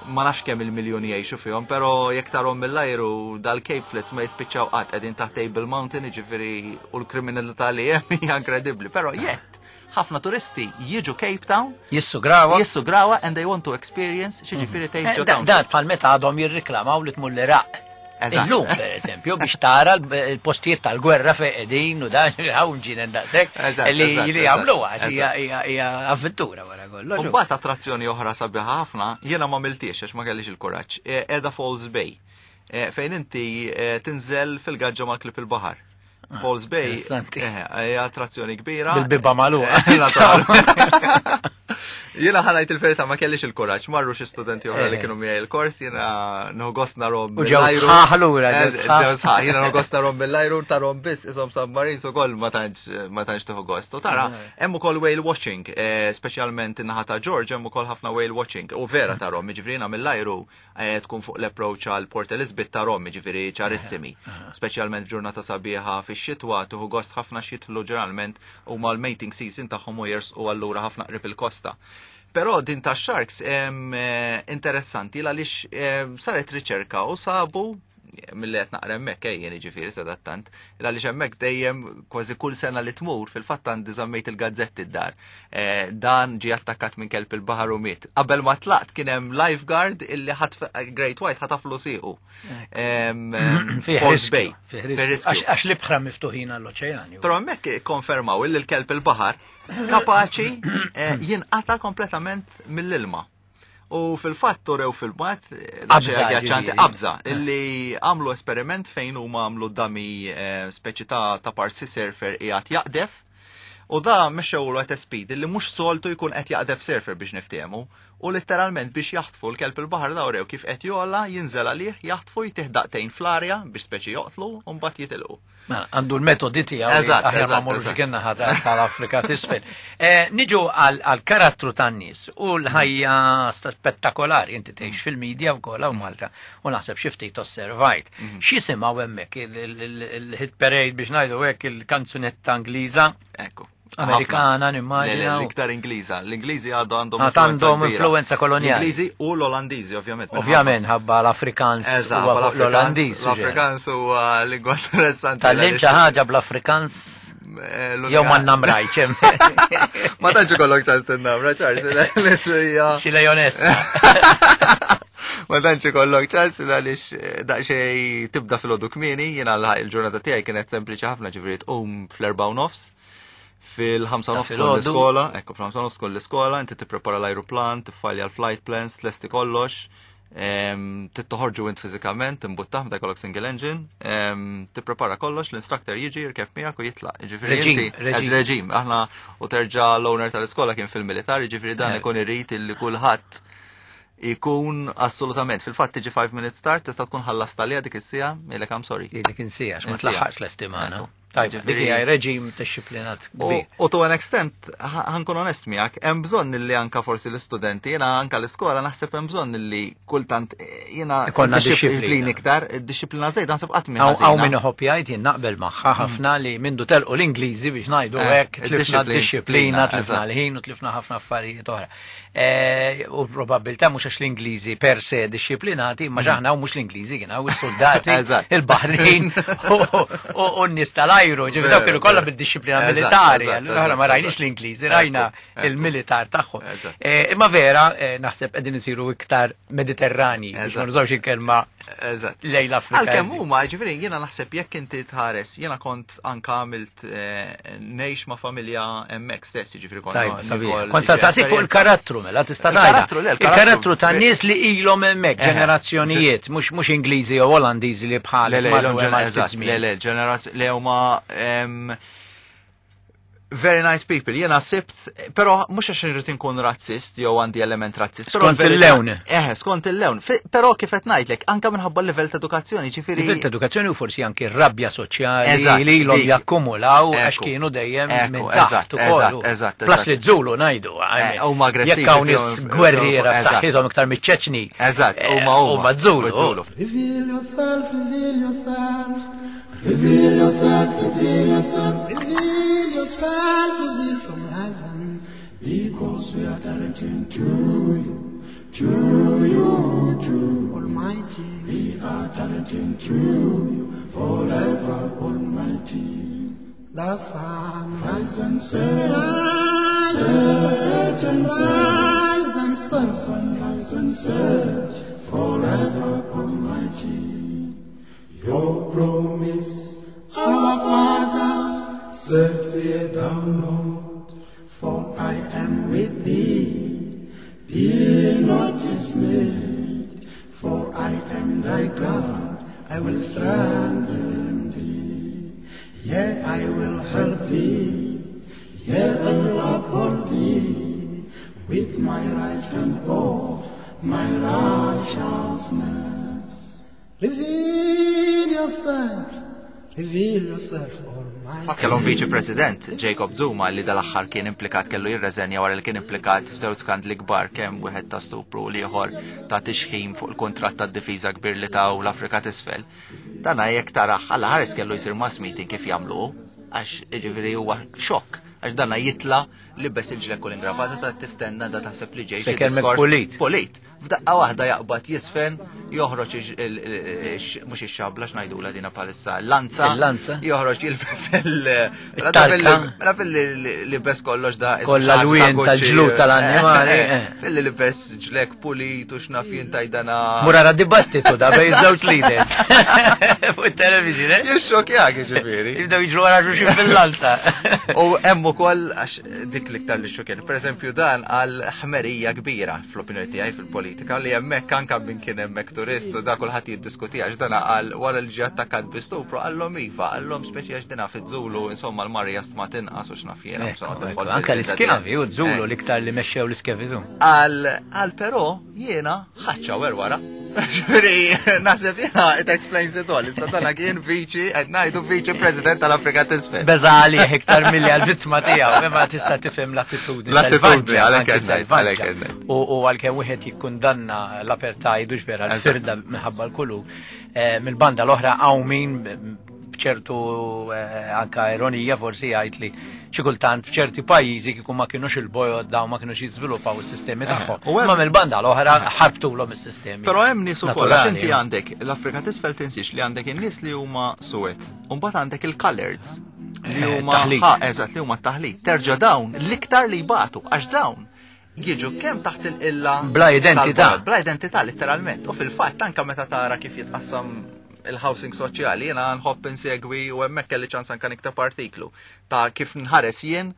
ma nafx kemm il-miljoni jgħixu fihom, però jekk tarhom mill-ajru dal-Cape Flats ma jispiċċaw qatt qegħdin taħt Table Mountain, jiġifieri u l-kriminalità li hemm hija inkredibbli. Però jett ħafna turisti jiġu Cape Town, jissugrawa, jissugrawa and they want to experience xi ġifieri tgħix ġo town. Dan bħal meta għadhom jirriklamaw li tmur l-Iraq. Illum, per eżempju, biex tara l-postijiet tal-gwerra fejn qegħdin u dan hawn ġinen daqshekk li li jagħmluha hija avventura wara kollox. U mbagħad attrazzjoni oħra sabiħa ħafna, jiena ma miltiex għax ma kellix il-kuraġġ, qiegħda Falls Bay. E, fejn inti e, tinżel fil-gaġġa mal-klip il-baħar. Ah, Falls Bay hija attrazzjoni kbira. Bil-biba magħluqa. Jiena ħanajt il-verità ma kellix il-kuraġġ, marru xi studenti oħra li eh. kienu miegħi il-kors, jiena nħogost narhom. U ġew sħaħ lura, eh, ġew sħaħ, jiena nħogost narhom mill-ajru tarhom biss ishom submarines ukoll ma tantx ma tantx tieħu gost. U tara eh. hemm ukoll whale watching, speċjalment in-naħa ta' George hemm ukoll ħafna whale watching. U vera tarhom, jiġifieri mill-ajru Eh, tkun fuq l-approach għal Port Elizabeth ta' Rom, ġifiri ċarissimi. Speċjalment f'ġurnata sabiħa fix-xitwa tuħu gost ħafna xitlu ġeneralment u mal-mating season tagħhom u jersqu allura ħafna qrib il-kosta. Però din ta' sharks eh, interessanti għaliex saret riċerka u sabu mill-li qed naqra hemmhekk ejjen jiġifieri sadattant, għaliex hemmhekk dejjem kważi kull sena li tmur fil-fatt għandi żammejt il-gazzetti d-dar. Eh, dan ġie attakkat minn kelb il-baħar u miet. Qabel ma tlaqt kien hemm lifeguard illi ħadd Great White ħataflu siequ. Falls Bay. Għax l-ibħra miftuħin għall-oċeani. Però hemmhekk konfermaw illi l-kelb il-baħar kapaċi eh, jinqata kompletament mill-ilma. U fil-fatt urew filmat, għaċanti qabża, illi għamlu esperiment fejn huma għamlu dami eh, speċi ta' ta' parsi surfer qiegħed jaqdef. U da mexxewlu qed speed illi mhux soltu jkun qed jaqdef surfer biex niftehmu. U letteralment biex jaħtfu l-kelb il-baħar da urew kif qed jola jinżel għalih, jaħtfu jtih daqtejn fl-arja biex speċi joqtlu u mbagħad jitilqu. Mela, għandu l-metodi tiegħu. Eżatt, aħjar ma morrux kienna ħata tal-Afrika t'isfel. Eh, niġu għal karattru tan-nies u l-ħajja spettakolari inti tgħix fil-medja wkoll hawn Malta u naħseb xi ftit osservajt. Mhm. X'jisimgħu hemmhekk il-hit parade biex ngħidu hekk il-kanzunetta Ingliża? Ekku. Amerikana, nimmaġina. L-iktar Ingliża. L-Ingliżi għadu għandhom għandhom influenza koloniali. L-Ingliżi u l-Olandiżi, ovvjament. Ovvjament, ħabba l-Afrikans u l-Olandiż. L-Afrikans u lingwa interessanti. Tal-lim xi ħaġa bl-Afrikans eh, Jew ma namrajċ. Ma tantx ikollok ċans tinnamra, ċars, l-isrija. Xi lejonessa. Ma tantx ikollok ċans għaliex eh, daqsxejn tibda fil-għodu kmieni, jiena l-ġurnata tiegħi kienet sempliċi ħafna ġifieri tqum fl-4 nofs fil-5 nofs tkun l-iskola, ekku, fil-5 nofs tkun l-iskola, inti tipprepara l-ajruplan, tiffajlja l-flight plans, tlesti kollox, tittoħorġu int fiżikament, timbuttah meta jkollok single engine, tipprepara kollox, l-instructor jiġi jirkeb miegħek u jitlaq. Ġifieri inti as reġim, aħna u terġa' l-owner tal-iskola kien fil-militar, ġifieri dan eh. ikun irid illi kulħadd ikun assolutament. Fil-fatt tiġi 5 minutes start, tista' tkun ħallast għaliha dik is-sija, ilek I'm sorry. Dik insija, ma tlaħħaqx l-estimana. Tajba, dik hija reġim disciplinat kbir. U to an extent, ħankun onest miegħek, hemm bżonn li anka forsi l-istudenti, jiena anka l-iskola naħseb hemm bżonn li kultant eh, jiena ikollna dixxiplina iktar, disciplina żejda naħseb qatt minn Hawn min iħobb jgħid jien naqbel magħha mm. ħafna li mindu telqu l-Ingliżi biex ngħidu eh, hekk tlifna d-disciplina, tlifna l-ħin u tlifna ħafna affarijiet oħra. Eh, u probabilità mhux għax l-Ingliżi per se disciplinati, ma mm. xaħna u mhux l-Ingliżi kien hawn is-soldati, il-Baħrin u n-nies tal-ajru. L-ajru, ġifieri dawk kienu kollha bid-dixxiplina militari, allura ma rajniex l-Ingliżi, rajna il-militar tagħhom. Imma vera, naħseb qegħdin isiru iktar Mediterrani, biex ma nużawx il-kelma lejn l-Afrika. Għalkemm huma, ġifieri jiena naħseb jekk inti tħares, jiena kont anka għamilt ngħix ma' familja hemmhekk stess, ġifieri kont. Kont saqsik fuq il-karattru mela tista' tgħidha. Il-karattru ta' nies li ilhom hemmhekk ġenerazzjonijiet, mhux Ingliżi jew Olandiżi li bħal. Le, le, le, ġenerazzjoni le huma very nice people. Jena sibt, pero mhux għax irrid inkun razzist jew għandi element razzist. Skont il-lewn. Eh, skont il-lewn. Però kif qed ngħidlek, anke minħabba l-livell ta' edukazzjoni, ġifieri. Livell ta' edukazzjoni u forsi anke r-rabja soċjali li ilhom jakkumulaw għax kienu dejjem minn taħt ukoll. Eżatt, Plus li Zulu ngħidu. Huma aggressivi. Jekk hawn nies gwerriera b'saħħithom iktar miċ-Ċeċni. Eżatt, huma huma Zulu. Reveal yourself, reveal yourself. Reveal yourself, reveal yourself, reveal yourself, reveal from heaven. Because we are directing to you, to you, to Almighty. We are directing to you forever, Almighty. The sun rise and set, set and set, rise and set, sun rise and set, forever, Almighty. Your promise, our Father, said, Fear thou not, for I am with thee. Be not dismayed, for I am thy God, I will strengthen thee. Yea, I will help thee, yea, I will uphold thee, with my right hand of my righteousness. Reveal yourself, reveal yourself, Almighty. Fatt kellhom Viċi President Jacob Zuma li dal-aħħar kien implikat kellu jirreżenja wara li kien implikat f'żewġ skandli kbar kemm wieħed ta' stupru u l-ieħor ta' tixħim fuq il-kuntratt tad-difiża kbir li taw l-Afrika t'Isfel. Dana jekk tarah Alla ħares kellu jsir mass meeting kif jagħmlu hu, għax jiġifieri huwa xokk għax dana jitla' libes il-ġlekk u l-ingravata ta' tistenna da taħseb li ġej xi Se kelmek diskors pulit. Pulit. F'daqqa waħda jaqbad jisfen, joħroġ mhux ix-xabla x'ngħidula dina bħalissa, l-lanza. Il-lanza. Joħroġ jilbes il- mela It-tarka. Mela fil-li libes kollox da. Kollha l-wien tal-ġlud tal-annimali, eh. Fil-li libes ġlek pulit u x'naf jien tajdana. Murara dibattitu da bej żewġ leaders. Fuq it-television, eh? Jixxokjak ġifieri. Jibdew jiġru wara xulxin fil-lanza. U hemm ukoll għax dik l-iktar li xokjani. Per eżempju dan għal ħmerija kbira fl-opinjoni tiegħi fil-politika li hemmhekk anke min kien hemmhekk turist u da kulħadd jiddiskuti għax dan qal wara li ġie attakkat bi stupru qallhom iva, qallhom speċi għax dina fiż-Zulu insomma l-marja stma tinqas u x'naf jiena. Ekku, ekku, anke l-iskjavi u z-Zulu l-iktar li mexxew l-iskjavitu. Għal però jiena ħadd xawer wara. Ġifieri, naħseb jiena it explains it all. Issa dana kien viċi, qed ngħidu viċi president tal-Afrika t'Isfel. Beża' għalih iktar milli għall-vittma tiegħu, imma tista' tifhem l-attitudni L-attitudni, selvaġġa, għalhekk anki qed ngħid, selvaġġa. għalhekk qed ngħid. U għalkemm wieħed jikkundanna l-apartheid u x'vera l-firda minħabba l-kulur, mill-banda l-oħra hawn min b'ċertu anka ironija forsi jgħid li xi kultant f'ċerti pajjiżi kieku ma kienux il-bojod dawn ma kienux jiżviluppaw is-sistemi tagħhom. U hemm Imma mill-banda l-oħra ħarbtulhom is-sistemi. Però hemm nies ukoll għax naturali. inti għandek l-Afrika t'Isfel tinsiex li għandek in-nies li huma suwed, u mbagħad għandek il-coloreds li huma Taħlit. Ha, eżatt, li huma t-taħlit. Terġa' dawn l-iktar li jbatu għax dawn jiġu kemm taħt il-qilla Bla identità. tal-bojod, bla identità letteralment. U fil-fatt anke meta tara kif jitqassam il-housing soċjali, jiena nħobb insegwi u hemmhekk kelli ċans anke nikteb artiklu ta' kif nħares jien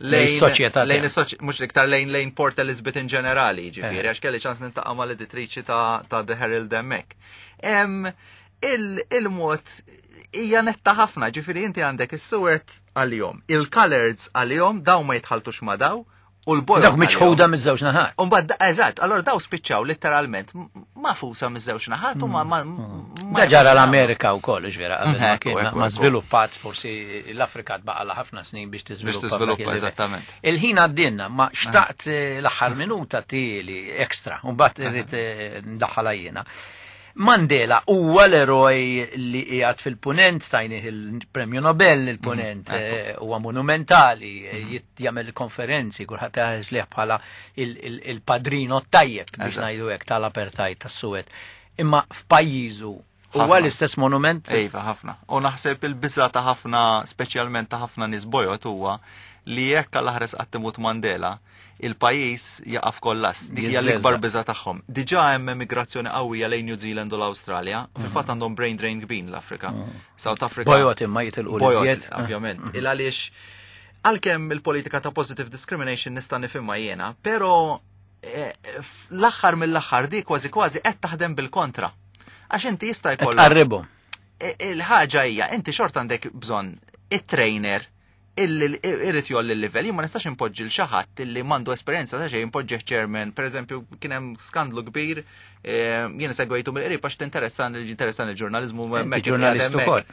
Lejn is-soċjetà lejn tiegħek. is-soċ-, mhux iktar lejn Port Elizabeth in ġenerali, ġifieri, għax kelli ċans nintaqa' mal-editriċi ta' The Herald hemmhekk. Il-mod hija netta ħafna, ġifieri inti għandek is-suwed għalihom, il-coloreds għalihom, daw ma jitħaltux ma daw, u l-bojod Dawk miċħuda għalihom. miż-żewġ naħat. U mbagħad eżatt, allora daw spiċċaw letteralment mafusa miż-żewġ naħat u ma Da ġara l-Amerika wkoll, ġvera, qabel ma Ekku, kien, ekku, ma ekku. żviluppat, forsi l-Afrika tbaqgħalha ħafna snin biex tiżviluppa Biex tiżviluppa, dak il-livell. eżattament. Il-ħin għaddinna, ma xtaqt l-aħħar minuta tieli ekstra, u mbagħad irrid ndaħħalha jiena. Mandela huwa l-eroj li qiegħed fil-punent, tajnih il-Premju Nobel il-punent, huwa monumentali, jagħmel konferenzi, kulħadd iħares lih bħala il-padrino tajjeb biex ngħidu hekk tal-apartheid tas-Suwed. Imma f'pajjiżu Huwa l-istess monument? Iva, ħafna. U naħseb il-biża ta' ħafna, speċjalment ta' ħafna nies bojod huwa li jekk għal ħares qatt imut Mandela, il-pajjiż jaqa' f'kollass. Dik hija l-ikbar biża tagħhom. Diġà hemm emigrazzjoni qawwija lejn New Zealand u l-Awstralja. Fil-fatt għandhom brain drain kbir l-Afrika. South Africa. Bojod imma jitilqu Bojod, ovvjament. Il għaliex għalkemm il-politika ta' positive discrimination nista' nifhimha jiena, però eh, l-aħħar mill-aħħar di kważi kważi qed taħdem bil-kontra. Għax inti jista' jkollok. Qarribhom. Eh, il-ħaġa hija inti xorta għandek bżonn it-trainer illi irrid jolli l-livell. Jien ma nistax impoġġi l xi ħadd illi m'għandu esperjenza ta' xejn impoġġih chairman. Pereżempju kien hemm skandlu kbir eh, jien segwejtu mill-qrib għax tinteressan interessan il-ġurnaliżmu hemmhekk. Ġurnalist ukoll.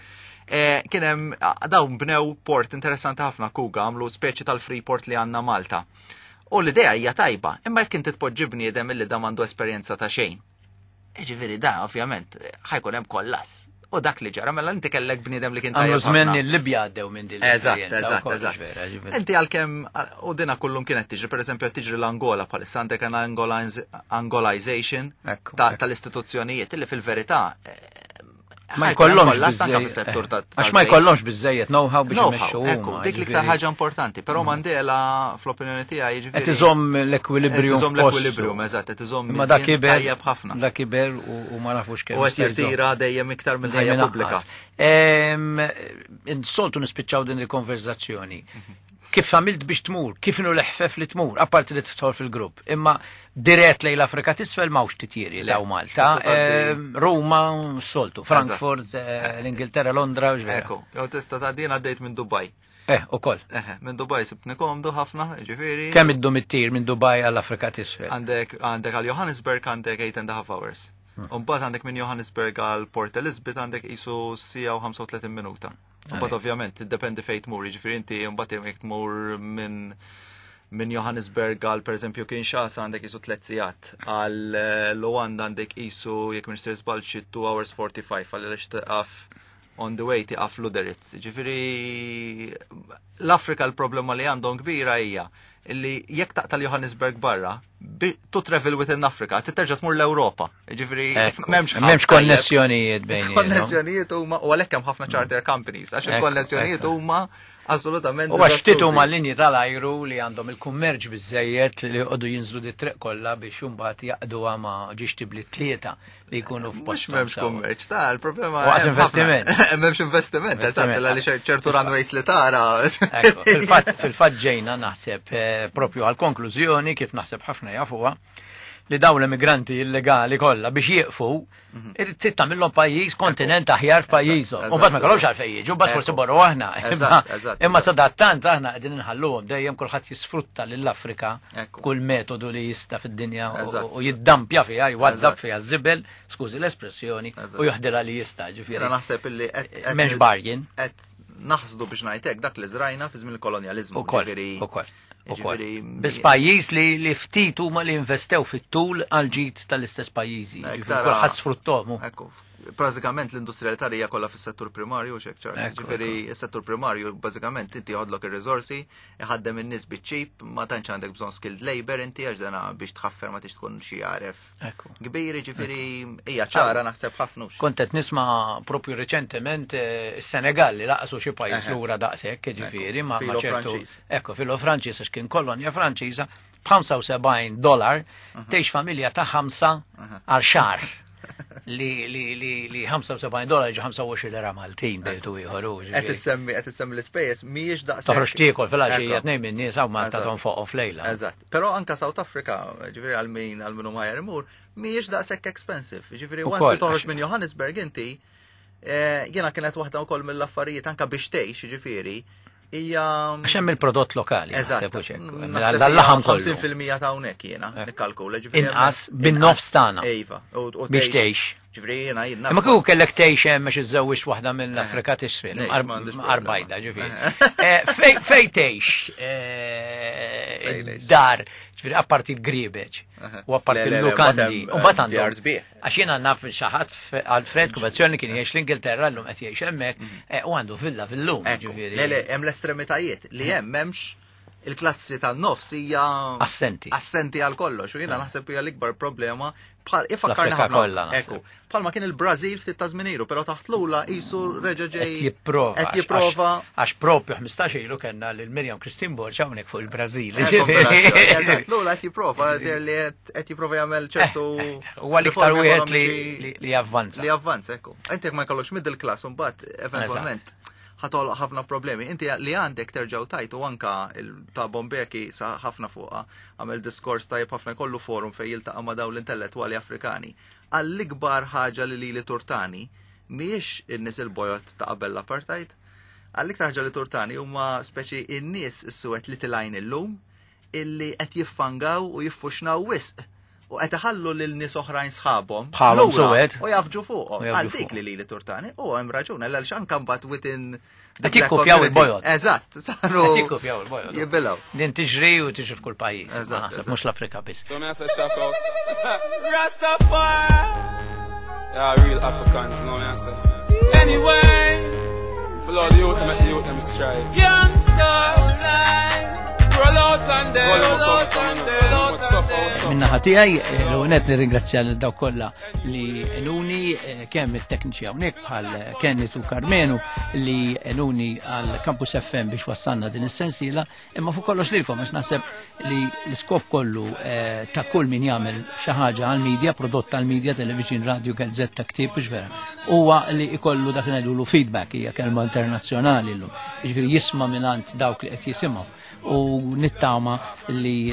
Eh, kien hemm dawn bnew port interessanti ħafna Kuga għamlu speċi tal-Freeport li għandna Malta. U l-idea hija tajba, imma jekk inti tpoġġi bniedem illi da m'għandu esperjenza ta' xejn. Ġifieri da, ovvjament, ħajkun hemm kollass. U dak li ġara, mela inti kellek bniedem li kien tajjeb. Għamlu żmien il-Libja għaddew minn din. Eżatt, eżatt, eżatt. Inti għalkemm u dina kullum kienet tiġri, pereżempju qed tiġri l-Angola bħalissa għandek an Angolization tal-istituzzjonijiet li fil-verità eh, Ma jkollhomx fis-settur ta' Għax ma jkollhomx biżejjed know-how biex imexxu. Ekku, dik l-iktar ħaġa importanti, però mm. Mandela fl-opinjoni tiegħi jiġifieri. Qed iżomm l-ekwilibrium. Qed iżomm l-ekwilibrium, eżatt, qed iżomm Ma dak kiber tajjeb ħafna. Dak kiber u ma nafux kemm. U qed jirtira dejjem iktar mill-ħajja pubblika. Insoltu nispiċċaw din il-konverzazzjoni. Mhm. Kif għamilt biex tmur, kif inhu l-eħfef li tmur, apparti li tidħol fil-grupp. Imma dirett lejn l-Afrika t'isfel m'hawnx titjiri daw Malta. Ruma, soltu, Frankfurt, eh, l-Ingilterra, Londra, Ekku, jew tista' tgħaddi għaddejt minn Dubai. Eh, ukoll. Eh, minn Dubai sibtni komdu ħafna, ġifieri. Kemm iddum it-tir minn Dubai għall-Afrika t'isfel? Għandek għandek għal Johannesburg għandek 8 and a half hours. Umbagħad għandek minn Johannesburg għal Port Elizabeth għandek qisu sija u 35 minuta. Mbagħad ovvjament tiddependi fejn tmur, jiġifieri inti mbagħad jekk tmur minn minn Johannesburg għal pereżempju Kinshasa għandek isu tliet sigħat, għal eh, Luanda għandek isu jekk minn sir żball xi 2 hours 45 għal għaliex taqaf on the way tiqaf Luderitz. Ġifieri l-Afrika l-problema li għandhom kbira hija illi jekk taqta' Johannesburg barra, to travel within Africa, titerġa' tmur l-Ewropa. Ġifieri m'hemmx m'hemmx konnessjonijiet bejn. Konnessjonijiet huma u għalhekk hemm ħafna charter companies għax il-konnessjonijiet huma assolutament. U għax ftit huma linji tal-ajru li għandhom il-kummerċ biżejjed li jqogħdu jinżlu di triq kollha biex imbagħad jaqduha ma' ġiex tibli tlieta li jkunu f'post. Mhux m'hemmx kummerċ, ta' il-problema. Għax investiment. M'hemmx investiment, eżatt, għaliex ċertu runways li tara. Fil-fatt ġejna naħseb eh, propju għal-konklużjoni kif naħseb ħafna jafuha li dawn l-immigranti illegali kollha biex jieqfu, mhm. trid tagħmilhom pajjiż kontinent aħjar f'pajjiżhom. U mbagħad ma kellhomx għalfejn jiġu, mbagħad forsi borru aħna. Imma sadattant aħna qegħdin inħalluhom dejjem kulħadd jisfrutta lill-Afrika kull metodu li jista' fid-dinja u jiddampja fiha, jwaddab fiha żibel, skużi l-espressjoni, u joħdilha li jista' ġifieri. Naħseb illi qed m'hemmx bargain. Qed naħsdu biex ngħidlek dak li żrajna fi żmien il-kolonjaliżmu. Ukoll, ukoll. Biss pajjiż li li ftit huma li investew fit-tul għal ġid tal-istess pajjiżi. Kulħadd sfruttom. Ekku, bażikament l-industrialità hija kollha fis-settur primarju xek ċar. Ġifieri s-settur primarju bażikament inti jħodlok ir-riżorsi, iħaddem in-nies biċ-ċip, ma tantx għandek bżonn skilled labor inti għax dana biex tħaffer ma tix tkun xi għaref Kbir, ġifieri hija ċara naħseb ħafna. Kont qed nisma' propju reċentement eh, is-Senegal li laqsu xi pajjiż lura daqshekk, ġifieri ma' ċertu. Ekku, filo Franċiż għax kien kolonja Franċiża b'75 dollar tgħix familja ta' ħamsa għal xahar li li li li 75 dolar ġi 25 lira Maltin bejtu ieħor. Qed issemmi qed issemmi l-ispejjeż mhijiex daqshekk. Toħroġ tiekol fil-għaxija tnejn minn nies hawn Malta tonfoq flejla. Eżatt. Però anka South Africa, ġifieri għal min għal min hu ħajjar imur, mhijiex daqshekk expensive. Ġifieri once li toħroġ minn Johannesburg inti, eh, jiena kienet waħda wkoll mill-affarijiet anka biex tgħix, ġifieri, hija. Għax hemm il-prodott lokali. Eżatt. L-laħam kollu. 50% ta' hawnhekk jiena nikkalkula, ġifieri. Inqas bin-nofs tagħna. Iva. Biex tgħix. Ġifieri jiena jiena. Imma kieku kellek tgħix hemm biex iżżewwiġt waħda mill-Afrika t'isfel, arbajda ġifieri. Eh, fej tgħix eh, dar, ġifieri apparti l-griebeġ u apparti l-lukandi. U mbagħad għandhom. Għax jiena naf xi ħadd Alfred Kubazzjoni kien jgħix l-Ingilterra llum qed jgħix hemmhekk mhm. eh, u għandu villa fil-lum. Le, le, hemm l-estremitajiet li hemm m'hemmx. Il-klassi tan-nofs hija Assenti. Assenti għal kollox u jiena naħseb hija l-ikbar problema bħal ifakkarna L-Afrika ħafna. kollha naħseb. Ekku, bħalma kien il-Brażil ftit ta' żmien ilu, però taħt Lula qisu reġa' ġej Qed jipprova. Qed jipprova. Għax propju 15 ilu kellna lil Mirjam Christine Borg hawnhekk fuq il-Brażil. Kombinazzjoni, Eżatt, Lula qed jipprova, der li qed jipprova jagħmel ċertu Huwa l-iktar riformi wieħed li- ekonomiċi li javvanza. Li javvanza, ekku. Inti jekk ma jkollokx middle class mbagħad eventwalment ħatol ħafna problemi. Inti li għandek terġgħu tajt u anka ta' Bombeki sa ħafna fuqha għamel diskors tajjeb ħafna kollu forum fejn jiltaqa' ma' dawn l-intellettwali Afrikani. Għall-ikbar ħaġa li lili turtani mhijiex in-nies il-bojot ta' qabel l-apartheid, għall-iktar ħaġa li turtani huma speċi in-nies is-suwed li tilajn illum illi qed jiffangaw u jiffuxnaw wisq u qed iħallu lil nies oħrajn sħabhom Bħalhom lura suwed. u jafġu fuqhom. U jafġu Għal dik fuqhom. li lili turtani u hemm raġun għal anke mbagħad within the Qed black jikkopjaw community. il-bojod. Eżatt, saru. Qed jikkopjaw il-bojod. Jibilgħu. Din tiġri u tiġri f'kull pajjiż. Ma Eżatt, naħseb eżatt. mhux l-Afrika biss. So me I say check house. Rastafari. Yeah, real Africans, you know me I say. Anyway, for all the youth, them make the youth them strive. Youngsters, roll out and then, roll out and then, roll out and then. Minna tiegħi l-għonet nirringrazzja lil dawk kollha li enuni kemm it-tekniċi hawnhekk bħal Kenneth u Karmenu li enuni għal Campus FM biex wassalna din is-sensiela, imma fuq kollox lilkom għax naħseb li l-iskop kollu ta' kull min jagħmel xi ħaġa għall-media, prodott tal-media, television, radio, gazzetta, ktieb, mhux vera. Huwa li ikollu dak li ngħidulu feedback hija kelma internazzjonali llum. Jiġifieri jisma' mingħand dawk li qed jisimgħu u nittama li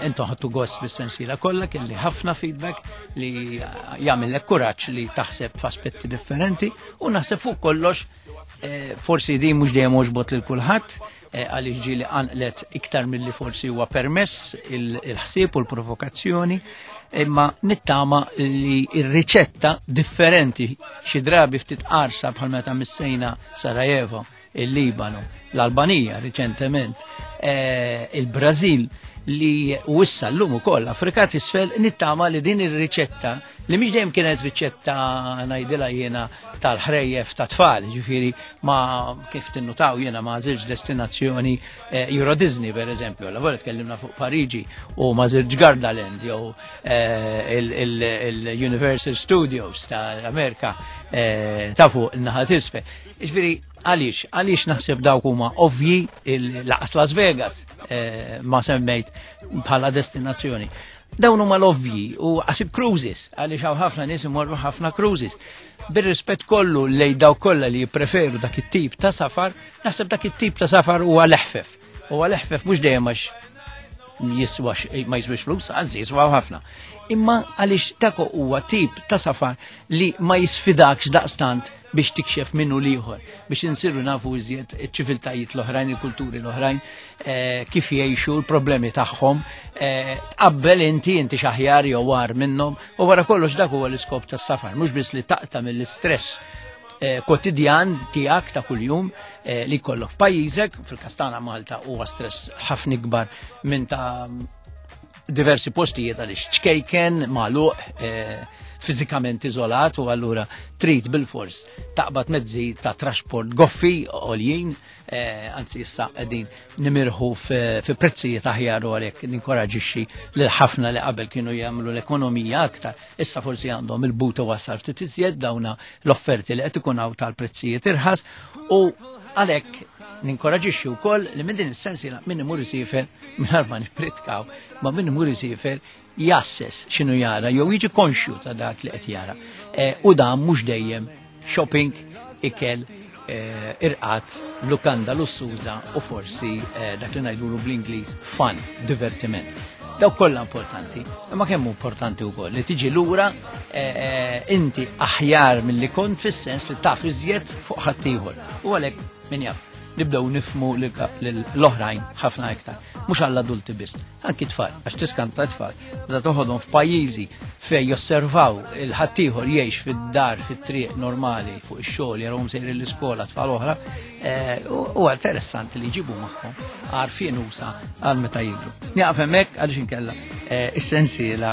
intom ħadtu gost bis-sensiela kollha kelli ħafna feedback li jagħmellek kuraġġ li taħseb f'aspetti differenti u naħseb fuq kollox forsi di mhux dejjem għoġbot lil kulħadd għaliex ġieli qanqlet iktar milli forsi huwa permess il-ħsieb u l-provokazzjoni imma nittama li ir-riċetta differenti xi drabi ftit qarsa bħal meta missejna Sarajevo, il-Libanu, l-Albanija riċentement, il-Brażil li u issa llum ukoll Afrika t'isfel nittama li din ir-riċetta li mhix dejjem kienet riċetta ngħidilha jiena tal-ħrejjef ta' tfal, ġifieri ma kif tinnutaw jiena ma żilġ destinazzjoni Euro Disney per eżempju, la volta tkellimna fuq Pariġi u ma żilġ Gardaland jew il-Universal Studios tal-Amerika ta' fuq in-naħa t'isfel. Ġifieri għaliex, għaliex naħseb dawk huma ovvji il-laqas Las Vegas ma semmejt bħala destinazzjoni. Dawn huma l-ovvji u għasib cruises, għaliex hawn ħafna nies imorru ħafna cruises. Bir-rispett kollu lej dawk kollha li jippreferu dak it-tip ta' safar, naħseb dak it-tip ta' safar huwa l-eħfef. Huwa l-eħfef mhux dejjem għax jiswa ma jiswix flus, anzi jiswaw ħafna. Imma għaliex dak huwa tip ta' safar li ma jisfidakx daqstant biex tikxef minnu liħor, biex insiru nafu iżjed iċ-ċiviltajiet l-oħrajn, il-kulturi l-oħrajn, kif jgħixu, l-problemi tagħhom, tqabbel inti xaħjar jew war minnhom, u wara kollox dak huwa l-iskop tas-safar, mhux biss li taqta' mill-istress kwotidjan tiegħek ta' kuljum li jkollok f'pajjiżek, fil-Kastana Malta huwa stress ħafna ikbar minn ta' diversi postijiet għaliex ċkejken, magħluq, fiżikament iżolat u allura trid bil-fors taqbad mezzi ta' trasport goffi għoljin, anzi issa qegħdin nimirħu fi prezzijiet aħjar u għalhekk ninkoraġixxi lil ħafna li qabel kienu jagħmlu l-ekonomija aktar, issa forsi għandhom il-buta wasal ftit iżjed dawna l-offerti li qed ikun hawn tal-prezzijiet irħas u għalhekk ninkoraġixxi wkoll li minn din is-sensiela min imur isiefer mingħajr ma nippritkaw, ma min imur isiefer jasses x'inhu jara jew jiġi konxju ta' dak li qed jara. U dan mhux dejjem shopping, ikel, irqat, lukanda lussuża u forsi dak li ngħidulu bl-Ingliż fun, divertiment. Dawk kollha importanti, imma kemm hu importanti wkoll li tiġi lura inti aħjar milli kont fis-sens li taf iżjed fuq ħaddieħor. U għalhekk min jaf nibdew nifmu l-oħrajn ħafna iktar. Mhux għall-adulti biss, anki tfal, għax tiskanta tfal. Meta toħodhom f'pajjiżi fejn josservaw il-ħaddieħor jgħix fid-dar, fit-triq normali, fuq ix-xogħol, jarawhom sejrin l-iskola tfal oħra, huwa interessanti li jġibu magħhom għarfien usa għal meta jikbru. Nieqaf hemmhekk għaliex inkella is-sensiela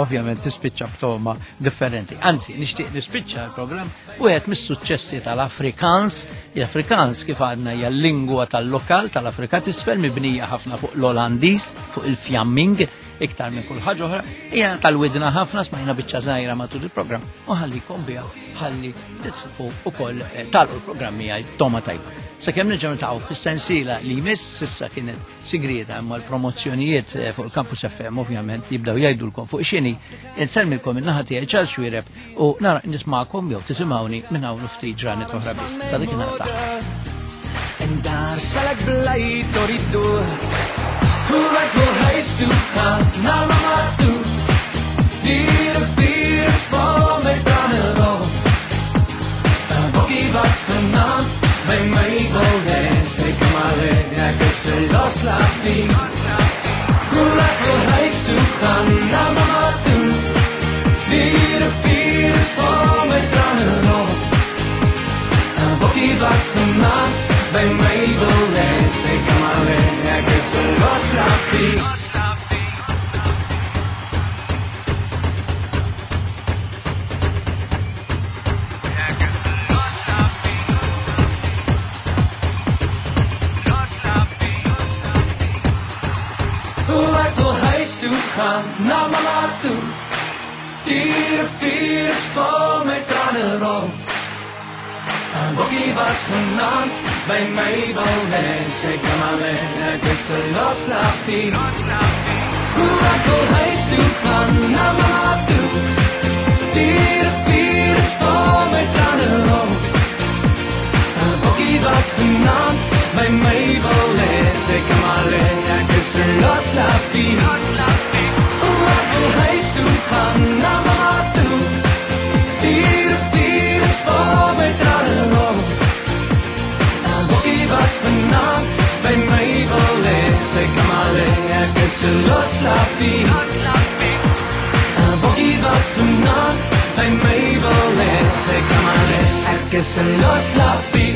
ovvjament tispiċċa b'toma differenti. Anzi, nixtieq nispiċċa l-programm wieħed mis-suċċessi tal-Afrikaans. L-Afrikaans kif għadna hija l-lingwa tal-lokal tal-Afrika t'isfel, mibnija ħafna fuq l-Olandiż, fuq il-Fjamming, iktar minn kull ħaġa oħra, hija tal-widna ħafna, smajna biċċa żgħira matul il-programm u ħallikom biha ħalli titfu ukoll tagħlqu l-programm miegħi toma tajba. Sakemm nerġgħu niltaqgħu fis-sensiela li jmiss, s'issa kienet sigrieta imma l-promozzjonijiet fuq il-Campus FM ovvjament jibdew jgħidulkom fuq x'inhi. Insellmilkom in-naħa tiegħi Charles Xuereb u nara nismakom jew tisimgħuni minn hawn ftit ġranet oħra biss. Sa dik inħar saħħa. En daar zal ik blij door die dood. Hoe ek wil huis toe gaan, na mama toe. Die rivier is vol met trane rol. 'n Bokkie wat vanaand by my wil hê, sy kan maar hê, ek is 'n loslappie. Hoe ek wil huis toe gaan, na mama toe. Die rivier is vol met trane rol. 'n Bokkie wat vanaand by my wil hê, sy kan maar hê, ek is 'n loslappie. Hoe ek wil huis toe gaan, na mama toe. Die rivier is vol met trane rol. 'n Bokkie wat vanaand by my wil hê, sy kan maar hê, ek is 'n loslappie. Hoe ek wil huis toe gaan, na mama toe. Die rivier is vol met trane rol. 'n Bokkie wat vanaand by my wil hê, sy kan maar hê, ek is 'n loslappie. Hoe ek wil huis toe gaan, na mama toe. Die rivier is vol met trane rol. 'n Bokkie wat vanaand by my wil hê, sy kan maar hê, ek is 'n loslappie. 'n Bokkie wat vanaand by my wil hê, sy kan maar hê, ek is 'n loslappie.